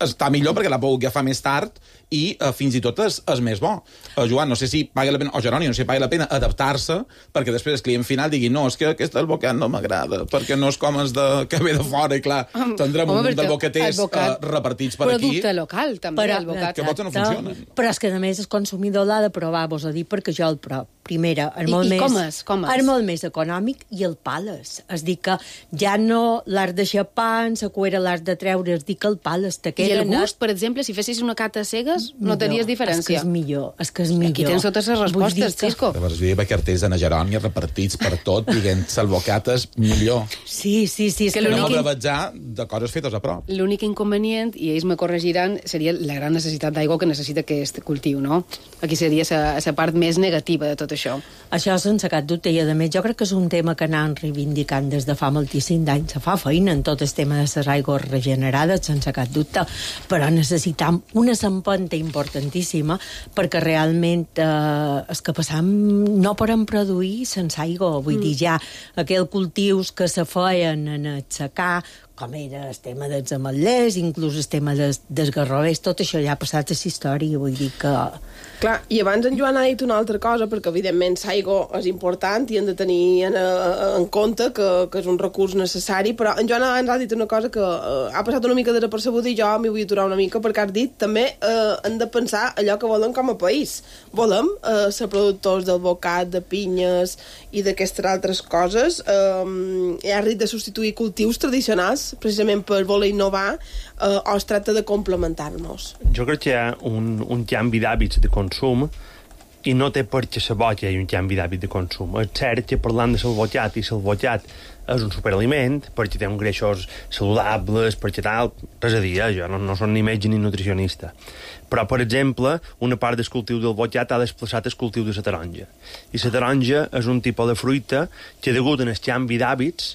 està millor perquè l'ha pogut agafar més tard i uh, fins i tot és, és més bo. Uh, Joan, no sé si paga la pena, o Jeroni, no sé si paga la pena adaptar-se perquè després el client final digui no, és que aquest albocat no m'agrada, perquè no és com els de, que ve de fora, i clar, tindrem un munt d'albocaters uh, repartits per aquí. Producte local, també, però, albocat. Que molts no funcionen. Però és que, a més, el consumidor l'ha de provar, vos a dir, perquè jo el prop. Primera, és I, molt i més... com és? Com és? És molt més econòmic i el pales. És dir que ja no l'has de xapar, en la cuera l'has de treure, és dir que el pales te queda... I el gust, per exemple, si fessis una cata cegues, no tenies diferència. És que és millor, és que és millor. Aquí tens totes les respostes, que... Cisco. Llavors, hi havia cartells de Nagerònia repartits per tot, dient salvocates millor. Sí, sí, sí. Que no brevetjar de coses fetes a prop. L'únic inconvenient, i ells me corregiran, seria la gran necessitat d'aigua que necessita aquest cultiu, no? Aquí seria la part més negativa de tot això. Això sense cap dubte, i a més jo crec que és un tema que anem reivindicant des de fa moltíssim d'anys. Se fa feina en tot el tema de les aigües regenerades, sense cap dubte, però necessitam una empenta importantíssima perquè realment eh, és que passam no podem produir sense aigua. Vull mm. dir, ja aquells cultius que se feien en el secà, com era el tema dels ametllers, inclús el tema dels, dels garrovers, tot això ja ha passat a la història, vull dir que... Clar, i abans en Joan ha dit una altra cosa, perquè evidentment l'aigua és important i hem de tenir en, en compte que, que és un recurs necessari, però en Joan abans ha dit una cosa que eh, ha passat una mica desapercebuda i jo m'hi vull aturar una mica, perquè has dit també eh, hem de pensar allò que volem com a país. Volem eh, ser productors d'albocat, de pinyes i d'aquestes altres coses. Eh, has dit de substituir cultius tradicionals precisament per voler innovar, eh, o es tracta de complementar-nos? Jo crec que hi ha un, un canvi d'hàbits de consum i no té per què saber que hi ha un canvi d'hàbit de consum. És cert que parlant de salvotxat, i salvotxat és un superaliment, perquè té uns greixos saludables, perquè tal, res a dir, eh? Jo no, no soc ni metge ni nutricionista. Però, per exemple, una part del cultiu del botxat ha desplaçat el cultiu de la taronja. I la taronja és un tipus de fruita que, degut al canvi d'hàbits,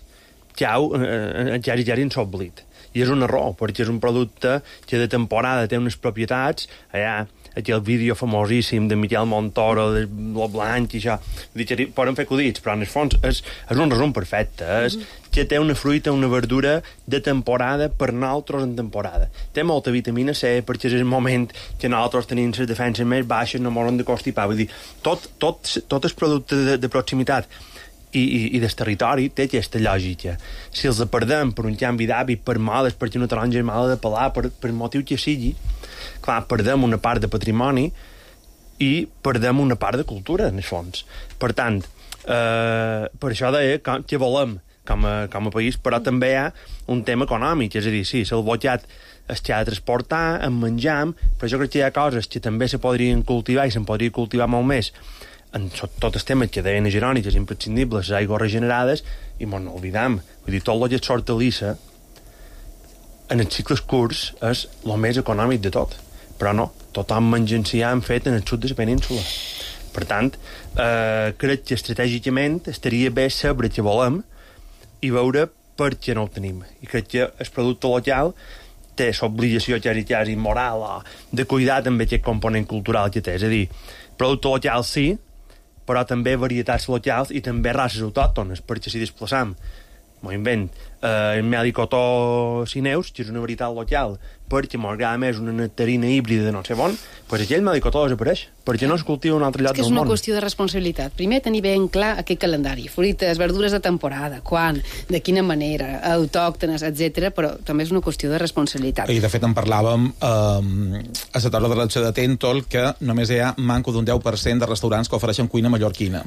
ja, eh, ja, ja s'ha oblidat. I és un error, perquè és un producte que de temporada té unes propietats, allà, aquell vídeo famosíssim de Miquel Montoro, de lo blanc i això, dir, poden fer acudits, però en el fons és, és un resum perfecte, és que té una fruita, una verdura de temporada per nosaltres en temporada. Té molta vitamina C, perquè és el moment que nosaltres tenim les defenses més baixes, no moren de constipar, vull dir, tot, tot, tot el producte de, de proximitat i, i, i del territori té aquesta lògica. Si els perdem per un canvi d'hàbit, per males, perquè una taronja és mala de pelar, per, per motiu que sigui, clar, perdem una part de patrimoni i perdem una part de cultura, en el fons. Per tant, eh, per això deia que, que volem com a, com a país, però també hi ha un tema econòmic, és a dir, sí, el botxat es que ha de transportar, en menjam, però jo crec que hi ha coses que també se podrien cultivar i se'n podria cultivar molt més en tot el tema que deien a Jeroni, que és imprescindible, les aigües regenerades, i mos n'oblidam. Vull dir, tot el que és hortalissa, en els cicles curts, és el més econòmic de tot. Però no, tothom mengencià han fet en el sud de la península. Per tant, eh, crec que estratègicament estaria bé saber què volem i veure per què no ho tenim. I crec que el producte local té l'obligació quasi, quasi moral o de cuidar també aquest component cultural que té. És a dir, producte local sí, però també varietats locals i també races autòctones, perquè si desplaçam, m'ho invent, eh, el melicotó cineus, que és una varietat local, perquè m'agrada més una nectarina híbrida de no sé on, doncs aquell melicotó desapareix, perquè no es cultiva un altre lloc del món. És que és una qüestió de responsabilitat. Primer, tenir ben clar aquest calendari, fruites, verdures de temporada, quan, de quina manera, autòctones, etcètera, però també és una qüestió de responsabilitat. I, de fet, en parlàvem eh, a la taula de redacció de Tentol, que només hi ha manco d'un deu per cent de restaurants que ofereixen cuina mallorquina.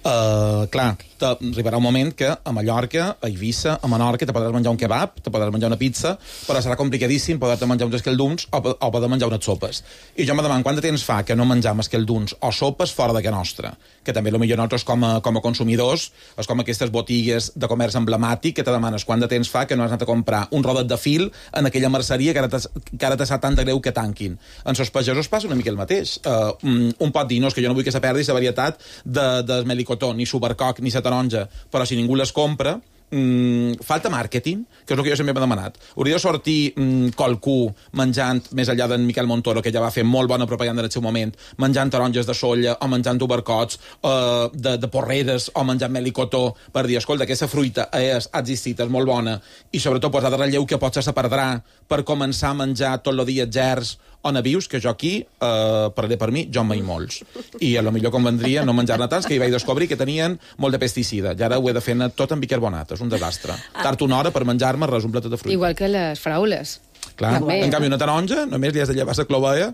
Uh, clar, arribarà un moment que a Mallorca, a Eivissa, a Menorca te podràs menjar un kebab, te podràs menjar una pizza, però serà complicadíssim poder-te menjar uns escalduns o, o poder menjar unes sopes. I jo me demano quant de temps fa que no menjam escalduns o sopes fora de casa nostra, que també potser nosaltres com a, com a consumidors és com aquestes botigues de comerç emblemàtic que te demanes quant de temps fa que no has anat a comprar un rodet de fil en aquella merceria que ara te, que ara te sap tan de greu que tanquin. En sos pagesos passa una mica el mateix. Uh, un, un pot dir, no, és que jo no vull que se perdi la varietat de, de melicotó, ni supercoc, ni la taronja, però si ningú les compra, Mm, falta màrqueting, que és el que jo sempre m'he demanat. Hauria de sortir mm, qualcú menjant, més enllà d'en Miquel Montoro, que ja va fer molt bona propaganda en el seu moment, menjant taronges de solla o menjant tubercots eh, de, de porreres o menjant melicotó, per dir, escolta, aquesta fruita és, ha existit, és molt bona, i sobretot posar de relleu que potser se perdrà per començar a menjar tot el dia gerds o navius, que jo aquí, eh, parlaré per mi, jo en mai molts. I a lo millor convendria no menjar-ne tants, que hi vaig descobrir que tenien molt de pesticida. I ara ho he de fer tot amb bicarbonat. És un desastre. Tard una hora per menjar-me res un plat de fruita. Igual que les fraules. Clar, també, en canvi una taronja només li has de llevar la clovella,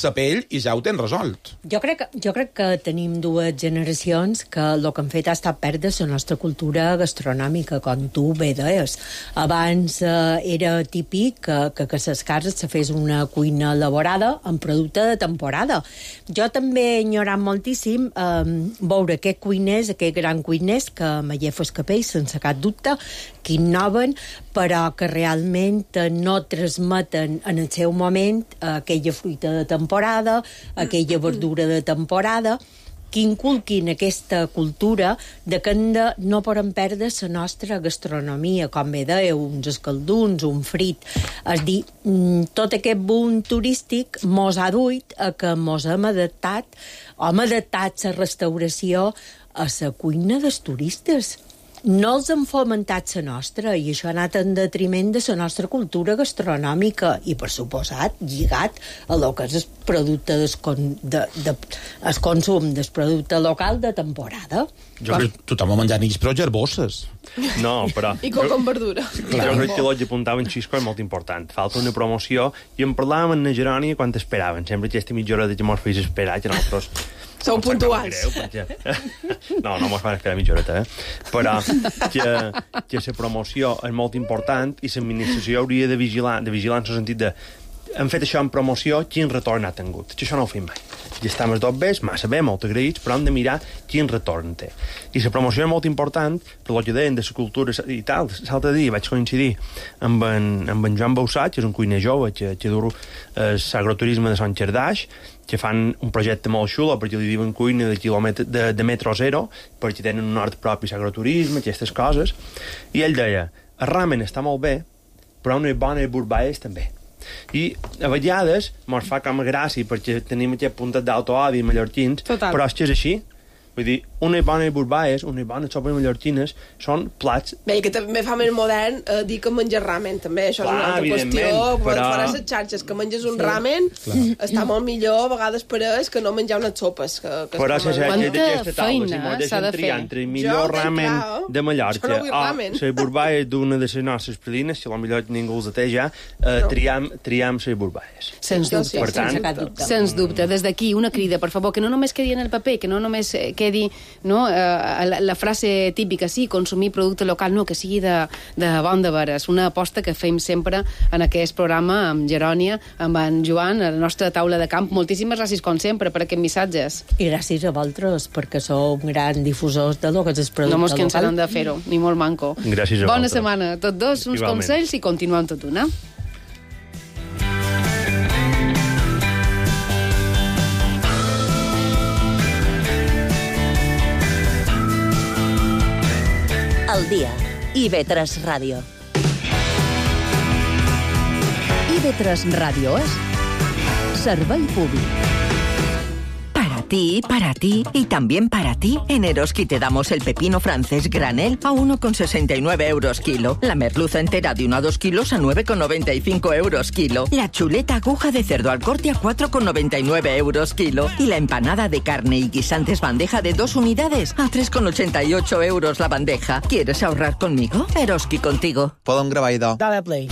la pell, i ja ho tens resolt. Jo crec, que, jo crec que tenim dues generacions que el que han fet ha estat perdre la nostra cultura gastronòmica, com tu bé deies. Abans eh, era típic que, que, que a les cases se fes una cuina elaborada amb producte de temporada. Jo també he ignorat moltíssim eh, veure aquests cuiners, aquests grans cuiners que Mallefes Capell, sense cap dubte, que innoven, però que realment no transmeten en el seu moment aquella fruita de temporada, aquella verdura de temporada, que inculquin aquesta cultura de que de, no podem perdre la nostra gastronomia, com bé dèieu, uns escalduns, un frit. És dir, tot aquest boom turístic mos ha duit a que mos hem adaptat, hem adaptat la restauració a la cuina dels turistes. No els han fomentat la nostra, i això ha anat en detriment de la nostra cultura gastronòmica i, per suposat, lligat a lo que és el producte del con, de, de, el consum del producte local de temporada. Jo crec que tothom ha menjat nix, però gerbosses. No, però... I coca amb verdura. Jo crec que el que apuntava en Xisco és molt important. Falta una promoció, i en parlàvem amb la Gerònia quan esperaven. Sempre aquesta mitja hora de que mos feis esperar, que nosaltres... Sou puntuals. Greu, perquè... No, no mos fan esperar mitja horeta, eh? Però que, que la promoció és molt important i l'administració hauria de vigilar, de vigilar en el sentit de hem fet això en promoció, quin retorn ha tingut. Que això no ho fem mai. Ja estem els dos bé, massa bé, molt agraïts, però hem de mirar quin retorn té. I la promoció és molt important, per el que deien de la cultura i tal. L'altre dia vaig coincidir amb en, amb en Joan Bausat, que és un cuiner jove, que, que dur l'agroturisme de Sant Xerdaix, que fan un projecte molt xulo, perquè li diuen cuina de, quilòmetre, de, de metro zero, perquè tenen un hort propi l'agroturisme, aquestes coses. I ell deia, el ramen està molt bé, però una bona burbaes també. I a vegades mos fa com a gràcia perquè tenim aquest puntet d'autoodi mallorquins, Total. Però és que és així. Vull dir, unes bones burbaes, unes bones sopes mallorquines són plats... Bé, que també fa més modern eh, dir que menges ramen, també. Això Clar, és una altra qüestió. però... Farà les xarxes que menges un Sí. ramen, Clar. està molt millor a vegades per ells que no menjar unes sopes. Que, que Però si d'aquesta taula, si feina mos s'ha de deixen triar fer? entre el Jo, millor ben ramen clar, de Mallorca jo no vull o ramen. la burbaes d'una de les nostres predines, si potser ningú els té ja, eh, No. triam, triam les burbaes. Sens dubte, Per tant, sense cap dubte. Sens dubte. Des d'aquí, una crida, per favor, que no només quedi en el paper, que no només eh, quedi no? eh, la, la frase típica, sí, consumir producte local, no, que sigui de, de bon de veres. Una aposta que fem sempre en aquest programa amb Gerònia, amb en Joan, a la nostra taula de camp. Moltíssimes gràcies, com sempre, per aquests missatges. I gràcies a vosaltres, perquè sou grans difusors de lo que és el producte no mos local. No mos de fer-ho, ni molt manco. Gràcies a Bona vosaltres. setmana. Tots dos, uns Igualment. consells i continuem tot una. Al dia. I ve tres Ràdio. I ve tres Ràdio és servei públic. Para ti, para ti y también para ti, en Eroski te damos el pepino francés granel a uno con sesenta y nueve euros kilo. La merluza entera de uno a dos kilos a nueve con noventa y cinco euros kilo. La chuleta aguja de cerdo al corte a cuatro con noventa y nueve euros kilo. Y la empanada de carne y guisantes bandeja de dos unidades a tres con ochenta y ocho euros la bandeja. ¿Quieres ahorrar conmigo? Eroski contigo. Podem gravar, idò. Dale play.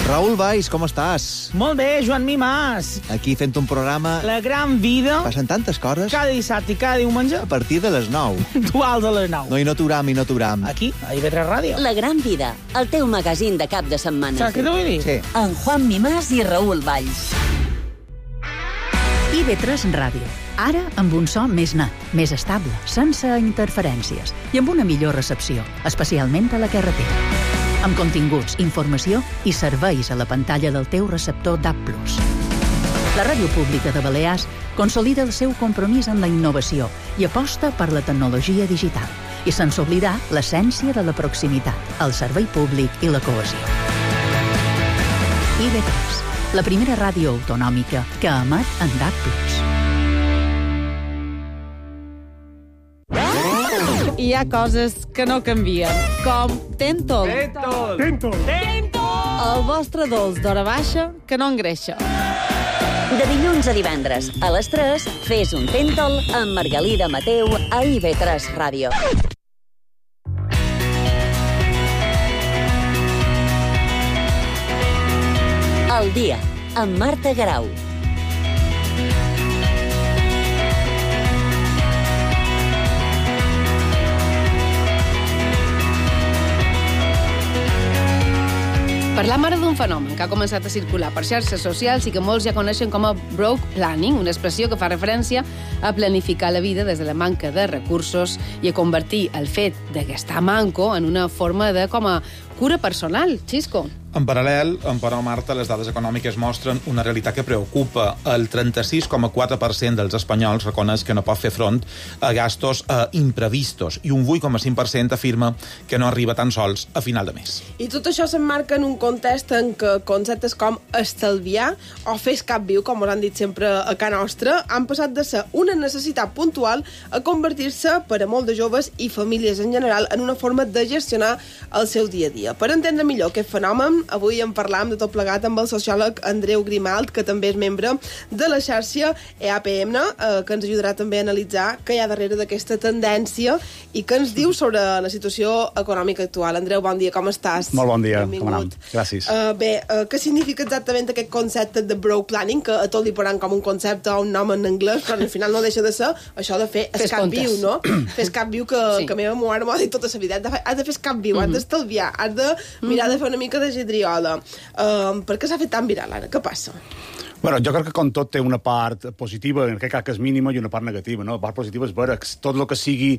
Raül Valls, com estàs? Molt bé, Joan Mimàs. Aquí fent un programa... La gran vida. Passen tantes coses. Cada dissabte i cada diumenge. A partir de les nou. Dual de les nou. No, i no t'uram, i no t'uram. Aquí, a I V tres Ràdio. La gran vida, el teu magazín de cap de setmana. Saps què t'ho vull dir? Sí. En Juan Mimàs i Raül Valls. I V tres Ràdio. Ara amb un so més net, més estable, sense interferències i amb una millor recepció, especialment a la carretera. Amb continguts, informació i serveis a la pantalla del teu receptor D A B plus. La Ràdio Pública de Balears consolida el seu compromís amb la innovació i aposta per la tecnologia digital, i sense oblidar l'essència de la proximitat, el servei públic i la cohesió. I V tres, la primera ràdio autonòmica que emet en D A B plus. Hi ha coses que no canvien, com Tentol. Tentol. Tentol. Tentol. El vostre dolç d'hora baixa que no engreixa. De dilluns a divendres, a les tres, fes un Tentol amb Margalida Mateu a I V tres Ràdio. El dia, amb Marta Garau. Parlam ara d'un fenomen que ha començat a circular per xarxes socials i que molts ja coneixen com a broke planning, una expressió que fa referència a planificar la vida des de la manca de recursos i a convertir el fet de gastar manco en una forma de com a cura personal. Xisco. En paral·lel, però, Marta, les dades econòmiques mostren una realitat que preocupa. El trenta-sis coma quatre per cent dels espanyols reconeix que no pot fer front a gastos eh, imprevistos i un vuit coma cinc per cent afirma que no arriba tan sols a final de mes. I tot això s'emmarca en un context en què conceptes com estalviar o fer cap viu, com us han dit sempre a casa nostra, han passat de ser una necessitat puntual a convertir-se, per a molts de joves i famílies en general, en una forma de gestionar el seu dia a dia. Per entendre millor aquest fenomen, avui en parlam de tot plegat amb el sociòleg Andreu Grimalt, que també és membre de la xarxa E A P M, eh, que ens ajudarà també a analitzar què hi ha darrere d'aquesta tendència i què ens diu sobre la situació econòmica actual. Andreu, bon dia, com estàs? Molt bon dia, Benvingut. com anem? Gràcies. Uh, bé, uh, què significa exactament aquest concepte de broke planning, que a tot li posaran com un concepte o un nom en anglès, però al final no deixa de ser això de fer Fes escap comptes. viu, no? Fer escap viu que, Sí. que meva mare m'ho ha dit tota la vida. Has de fer, has de fer escap viu, Mhm. has d'estalviar, has de mirar Mhm. de fer una mica de gedriola. Uh, per què s'ha fet tan viral ara? Què passa? Bueno, jo crec que com tot té una part positiva, en aquest cas que és mínima, i una part negativa. No? La part positiva és veure que tot el que sigui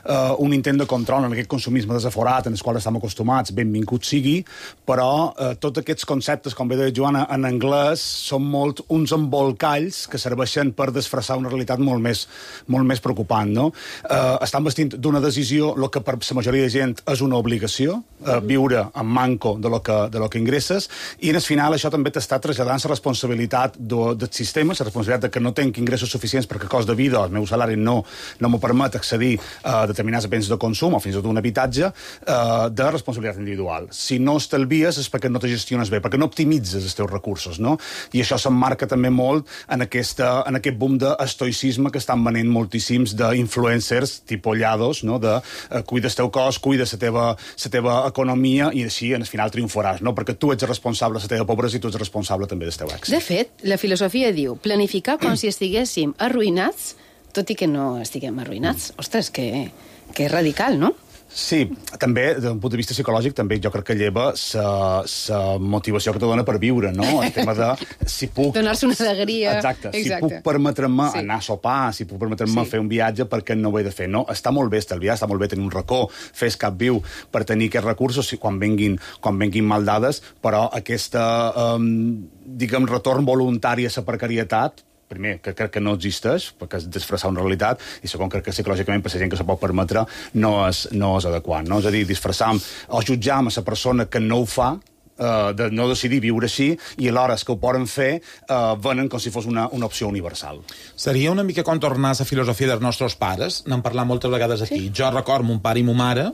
uh, un intent de control en aquest consumisme desaforat en el qual estem acostumats, benvingut sigui, però uh, tots aquests conceptes, com bé deia Joana, en anglès, són molt uns embolcalls que serveixen per disfressar una realitat molt més, molt més preocupant. No? Uh, estan vestint d'una decisió el que per la majoria de gent és una obligació, uh, viure amb manco de lo que, de lo que ingresses, i en el final això també t'està traslladant la responsabilitat do, del sistema, la responsabilitat de que no tenc ingressos suficients perquè el cost de vida, el meu salari no, no m'ho permet accedir a determinats béns de consum o fins i tot un habitatge, eh, de responsabilitat individual. Si no estalvies és perquè no te gestiones bé, perquè no optimitzes els teus recursos, no? I això s'emmarca també molt en, aquesta, en aquest boom d'estoicisme que estan venent moltíssims d'influencers tipus Llados, no? De eh, cuida el teu cos, cuida la teva, la teva economia i així, en el final, triomfaràs, no? Perquè tu ets responsable de la teva pobresa i tu ets responsable també del teu èxit. De fet, la filosofia diu planificar com si estiguéssim arruïnats tot i que no estiguem arruïnats. Ostres, que, que radical, no? Sí, també, des d'un punt de vista psicològic, també jo crec que lleva la motivació que te dona per viure, no? El tema de si puc... Donar-se una alegria. Exacte, Exacte. si puc permetre-me Sí. anar a sopar, si puc permetre-me Sí. fer un viatge, perquè no ho he de fer, no? Està molt bé estalviar, està molt bé tenir un racó, fer escap viu per tenir aquests recursos si- quan venguin, quan venguin mal dades, però aquesta, um, diguem, retorn voluntari a la precarietat, primer, que crec que no existeix, perquè és disfressar una realitat, i segon, crec que psicològicament per la gent que se pot permetre no és, no és adequat, no? És a dir, disfressar o jutjar amb la persona que no ho fa, eh, de no decidir viure així, i alhora els que ho poden fer eh, venen com si fos una, una opció universal. Seria una mica com tornar a la filosofia dels nostres pares. N'hem parlat moltes vegades aquí. Sí. Jo record mon pare i mon mare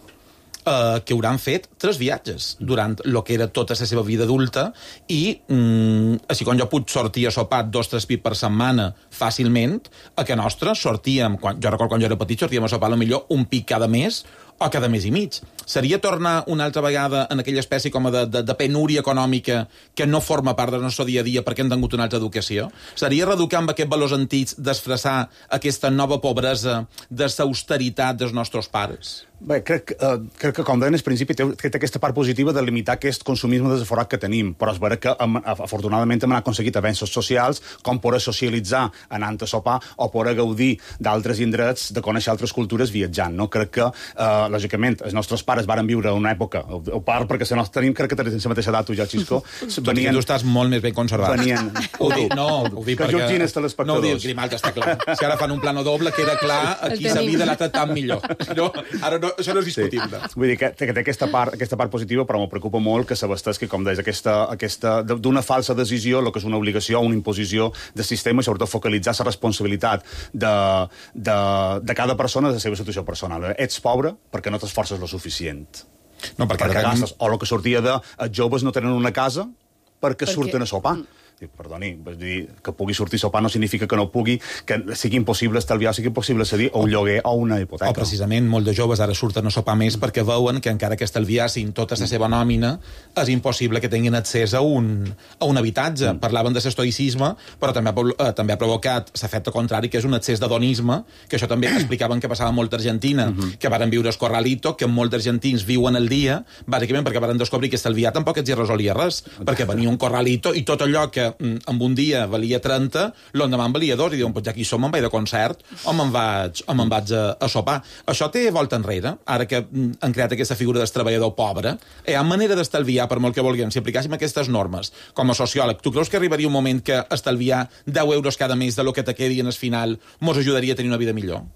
Uh, que hauran fet tres viatges durant el que era tota la seva vida adulta i, mm, així com jo puc sortir a sopar dos o tres pits per setmana fàcilment, a que nostre sortíem, quan, jo recordo quan jo era petit, sortíem a sopar potser un pic cada mes o cada mes i mig. Seria tornar una altra vegada en aquella espècie com de, de, de penúria econòmica que no forma part del nostre dia a dia perquè hem tingut una altra educació? Seria reeducar amb aquests valors antics, desfressar aquesta nova pobresa de l'austeritat dels nostres pares? Bé, crec, eh, crec que, com deien al principi, té, té aquesta part positiva de limitar aquest consumisme desaforat que tenim, però és vera que, hem, afortunadament, hem aconseguit avenços socials, com poder socialitzar anant a sopar o poder gaudir d'altres indrets, de conèixer altres cultures viatjant, no? Crec que, eh, lògicament, els nostres pares varen viure una època, o, o part, perquè si no tenim, crec que tens la mateixa edat, tu ja, Xisco, venien... Tu estàs molt més ben conservat. Venien... Ho dic, no, ho dic que perquè... jutgin els telespectadors. No ho dic, Grimalt, està clar. Si ara fan un plano doble, queda clar aquí la vida l'ha tratat millor. No, ara no, això no és discutible. Sí. Vull dir que, que té aquesta part, aquesta part positiva, però m'ho preocupa molt que s'abastesqui, com deies, aquesta, aquesta, d'una falsa decisió, el que és una obligació o una imposició de sistema, i sobretot focalitzar la responsabilitat de, de, de cada persona de la seva situació personal. Ets pobre perquè no t'esforces lo suficient. No, perquè, perquè tenim... gastes. O el que sortia de els joves no tenen una casa perquè, perquè... surten a sopar. Mm. Perdoni, vull dir, que pugui sortir a sopar no significa que no pugui, que sigui impossible estalviar, sigui impossible cedir o un lloguer o una hipoteca. O precisament, molts de joves ara surten a sopar més perquè veuen que encara que estalviassin tota la seva nòmina, és impossible que tinguin accés a un, a un habitatge. Mm. Parlaven de l'estoïcisme, però també ha, eh, també ha provocat l'efecte contrari, que és un excés d'hedonisme, que això també explicaven que passava molt a Argentina, mm-hmm. que varen viure el corralito, que molts argentins viuen el dia, bàsicament perquè varen descobrir que estalviar tampoc els hi resolia res, perquè venia un corralito i tot allò que en un dia valia trenta, l'endemà en valia dos, i diuen, pues ja aquí som, me'n vaig de concert, o me'n vaig, o me'n vaig a, a sopar. Això té volta enrere, ara que han creat aquesta figura del treballador pobre. Hi ha manera d'estalviar, per molt que vulguem, si aplicàssim aquestes normes. Com a sociòleg, tu creus que arribaria un moment que estalviar deu euros cada mes de lo que te quedi en el final mos ajudaria a tenir una vida millor?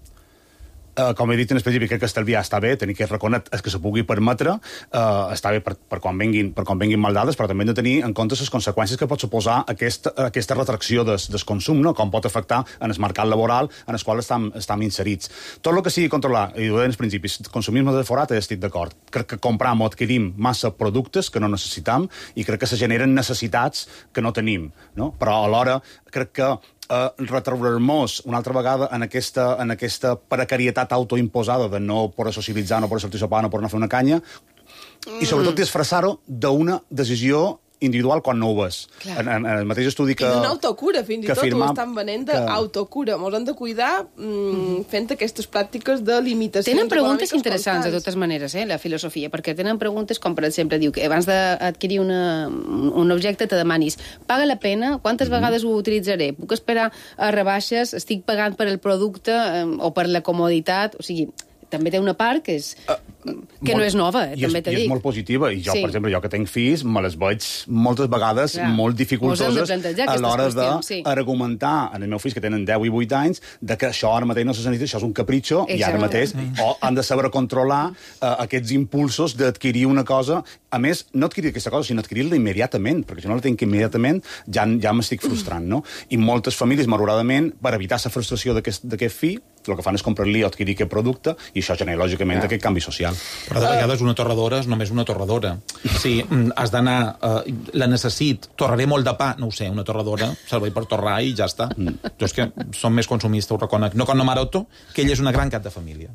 Uh, com he dit en específic, crec que estalviar està bé, tenir que reconetre el que se pugui permetre, uh, està bé per, per, quan venguin, per quan venguin maldades, però també hem de tenir en compte les conseqüències que pot suposar aquesta, aquesta retracció des, des consum, no? Com pot afectar en el mercat laboral en el qual estem, estem inserits. Tot el que sigui controlar, i ho deien als principis, consumisme desaforat, estic d'acord. Crec que compram o adquirim massa productes que no necessitam i crec que se generen necessitats que no tenim, no? Però alhora crec que Uh, retraurar-nos una altra vegada en aquesta, en aquesta precarietat autoimposada de no poder socialitzar, no poder sortir a sopar, no poder anar a fer una canya, mm. i sobretot disfressar-ho d'una decisió individual quan no ho és. En, en, en el mateix estudi que... I d'una autocura, fins i tot afirma, ho estan venent d'autocura. Mos hem de cuidar mm, fent aquestes pràctiques de limitacions. Tenen preguntes interessants, constants. De totes maneres, eh, la filosofia, perquè tenen preguntes com, per exemple, diu que abans d'adquirir una, un objecte te demanis, paga la pena? Quantes mm-hmm. vegades ho utilitzaré? Puc esperar a rebaixes? Estic pagant per el producte eh, o per la comoditat? O sigui, també té una part que és uh, que molt, no és nova, eh, també t'he dit. I és molt positiva, i jo, sí. per exemple, jo que tenc fills, me les veig moltes vegades Clar. molt dificultoses a l'hora d'argumentar sí. en els meus fills que tenen deu i vuit anys de que això ara mateix no se necessita, això és un capritxo, Exacte. i ara mateix sí. o han de saber controlar uh, aquests impulsos d'adquirir una cosa, a més, no adquirir aquesta cosa, sinó adquirir-la immediatament, perquè si no la tinc immediatament ja, ja m'estic frustrant, no? I moltes famílies, malauradament, per evitar la frustració d'aquest fill, el que fan és comprar-li o adquirir aquest producte, i això genera, lògicament, ja. aquest canvi social. Però de vegades una torradora és només una torradora. Si has d'anar, uh, la necessit, torraré molt de pa, no ho sé, una torradora, servei per torrar i ja està. Mm. Jo és que som més consumistes, ho reconec. No com no Maroto, que ell és una gran cap de família.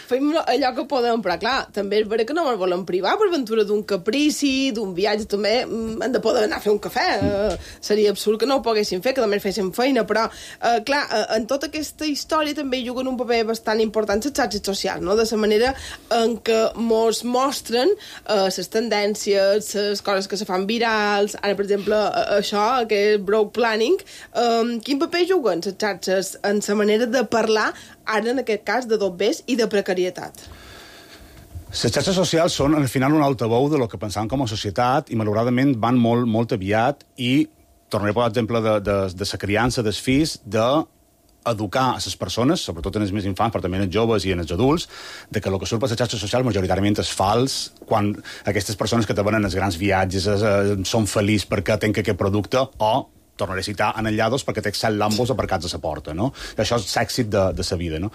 fem allò que podem, però clar, també és vera que no ens volen privar per ventura d'un caprici, d'un viatge, també hem de poder anar a fer un cafè. Uh, seria absurd que no ho poguéssim fer, que només féssim feina, però, uh, clar, uh, en tota aquesta història també juguen un paper bastant important les xarxes socials, no? De la manera en què mos mostren les uh, tendències, les coses que se fan virals, ara, per exemple, uh, això, aquest broke planning, um, quin paper juguen les xarxes en la manera de parlar, ara en aquest cas, de dobbers i de precarietat? Les xarxes socials són, al final, un altaveu de lo que pensàvem com a societat i, malauradament, van molt, molt aviat i, tornaré a posar exemple de, de, de la criança dels fills, de educar a les persones, sobretot en els més infants, però també en els joves i en els adults, de que el que surt per les xarxes socials majoritàriament és fals, quan aquestes persones que te venen els grans viatges eh, són feliços perquè tenen aquest producte, o tornaré a citar Anallados perquè té set Lambos aparcats a la porta, no? I això és l'èxit de, de la vida, no?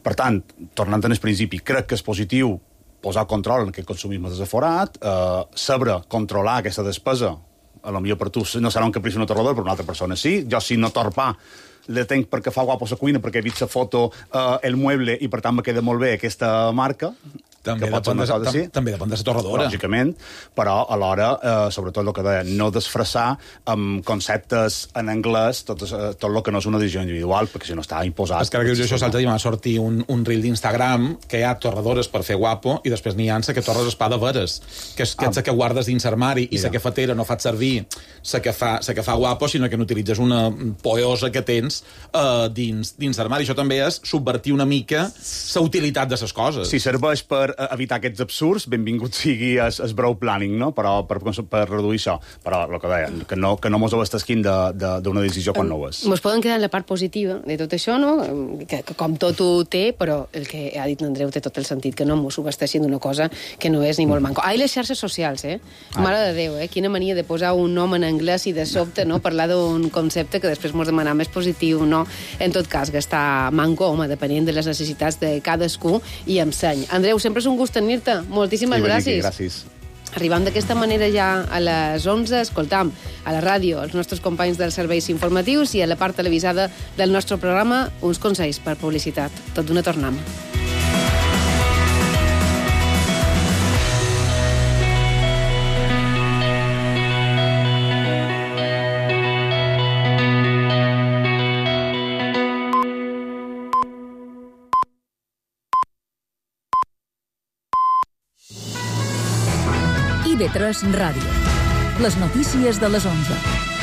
Per tant, tornant al principi, crec que és positiu posar control en aquest consumisme desaforat, eh, saber controlar aquesta despesa, a lo millor per tu no serà un caprici un aterrador, però una altra persona sí. Jo, si no torpar, la tenc perquè fa guapo la cuina, perquè he vist la foto, eh, el mueble, i per tant me queda molt bé aquesta marca, també que pot ser una cosa així. També depèn de la torradora. Lògicament, però alhora, eh, sobretot el que deia, no desfressar amb conceptes en anglès tot, eh, tot el que no és una decisió individual, perquè si no està imposat... És que ara que jo això l'altre dia m'ha sortit un, un reel d'Instagram que hi ha torradores per fer guapo i després n'hi ha que torres espada veres, que és que, ah. que guardes dins l'armari i la que fatera no fa servir la que, fa, que fa guapo, sinó que n'utilitzes una poeosa que tens eh, dins, dins l'armari. Això també és subvertir una mica la utilitat de les coses. Si serveix per evitar aquests absurds, benvingut sigui el, el brow planning, no? Però per, per reduir això. Però el que deia, que no, que no mos ho estesquin d'una decisió quan no ho és. Mos poden quedar en la part positiva de tot això, no? Que, que com tot ho té, però el que ha dit l'Andreu té tot el sentit, que no mos subesteixin d'una cosa que no és ni molt manco. Ah, i les xarxes socials, eh? Mare de Déu, eh? Quina mania de posar un nom en anglès i de sobte, no? Parlar d'un concepte que després mos demanar més positiu, no? En tot cas, gastar manco, home, depenent de les necessitats de cadascú i amb seny. Andreu, sempre és un gust tenir-te. Moltíssimes gràcies. Gràcies. Arribant d'aquesta manera ja a les onze, escoltam a la ràdio els nostres companys dels serveis informatius i a la part televisada del nostre programa uns consells per publicitat. Tot d'una tornem. I V tres Ràdio. Les notícies de les onze.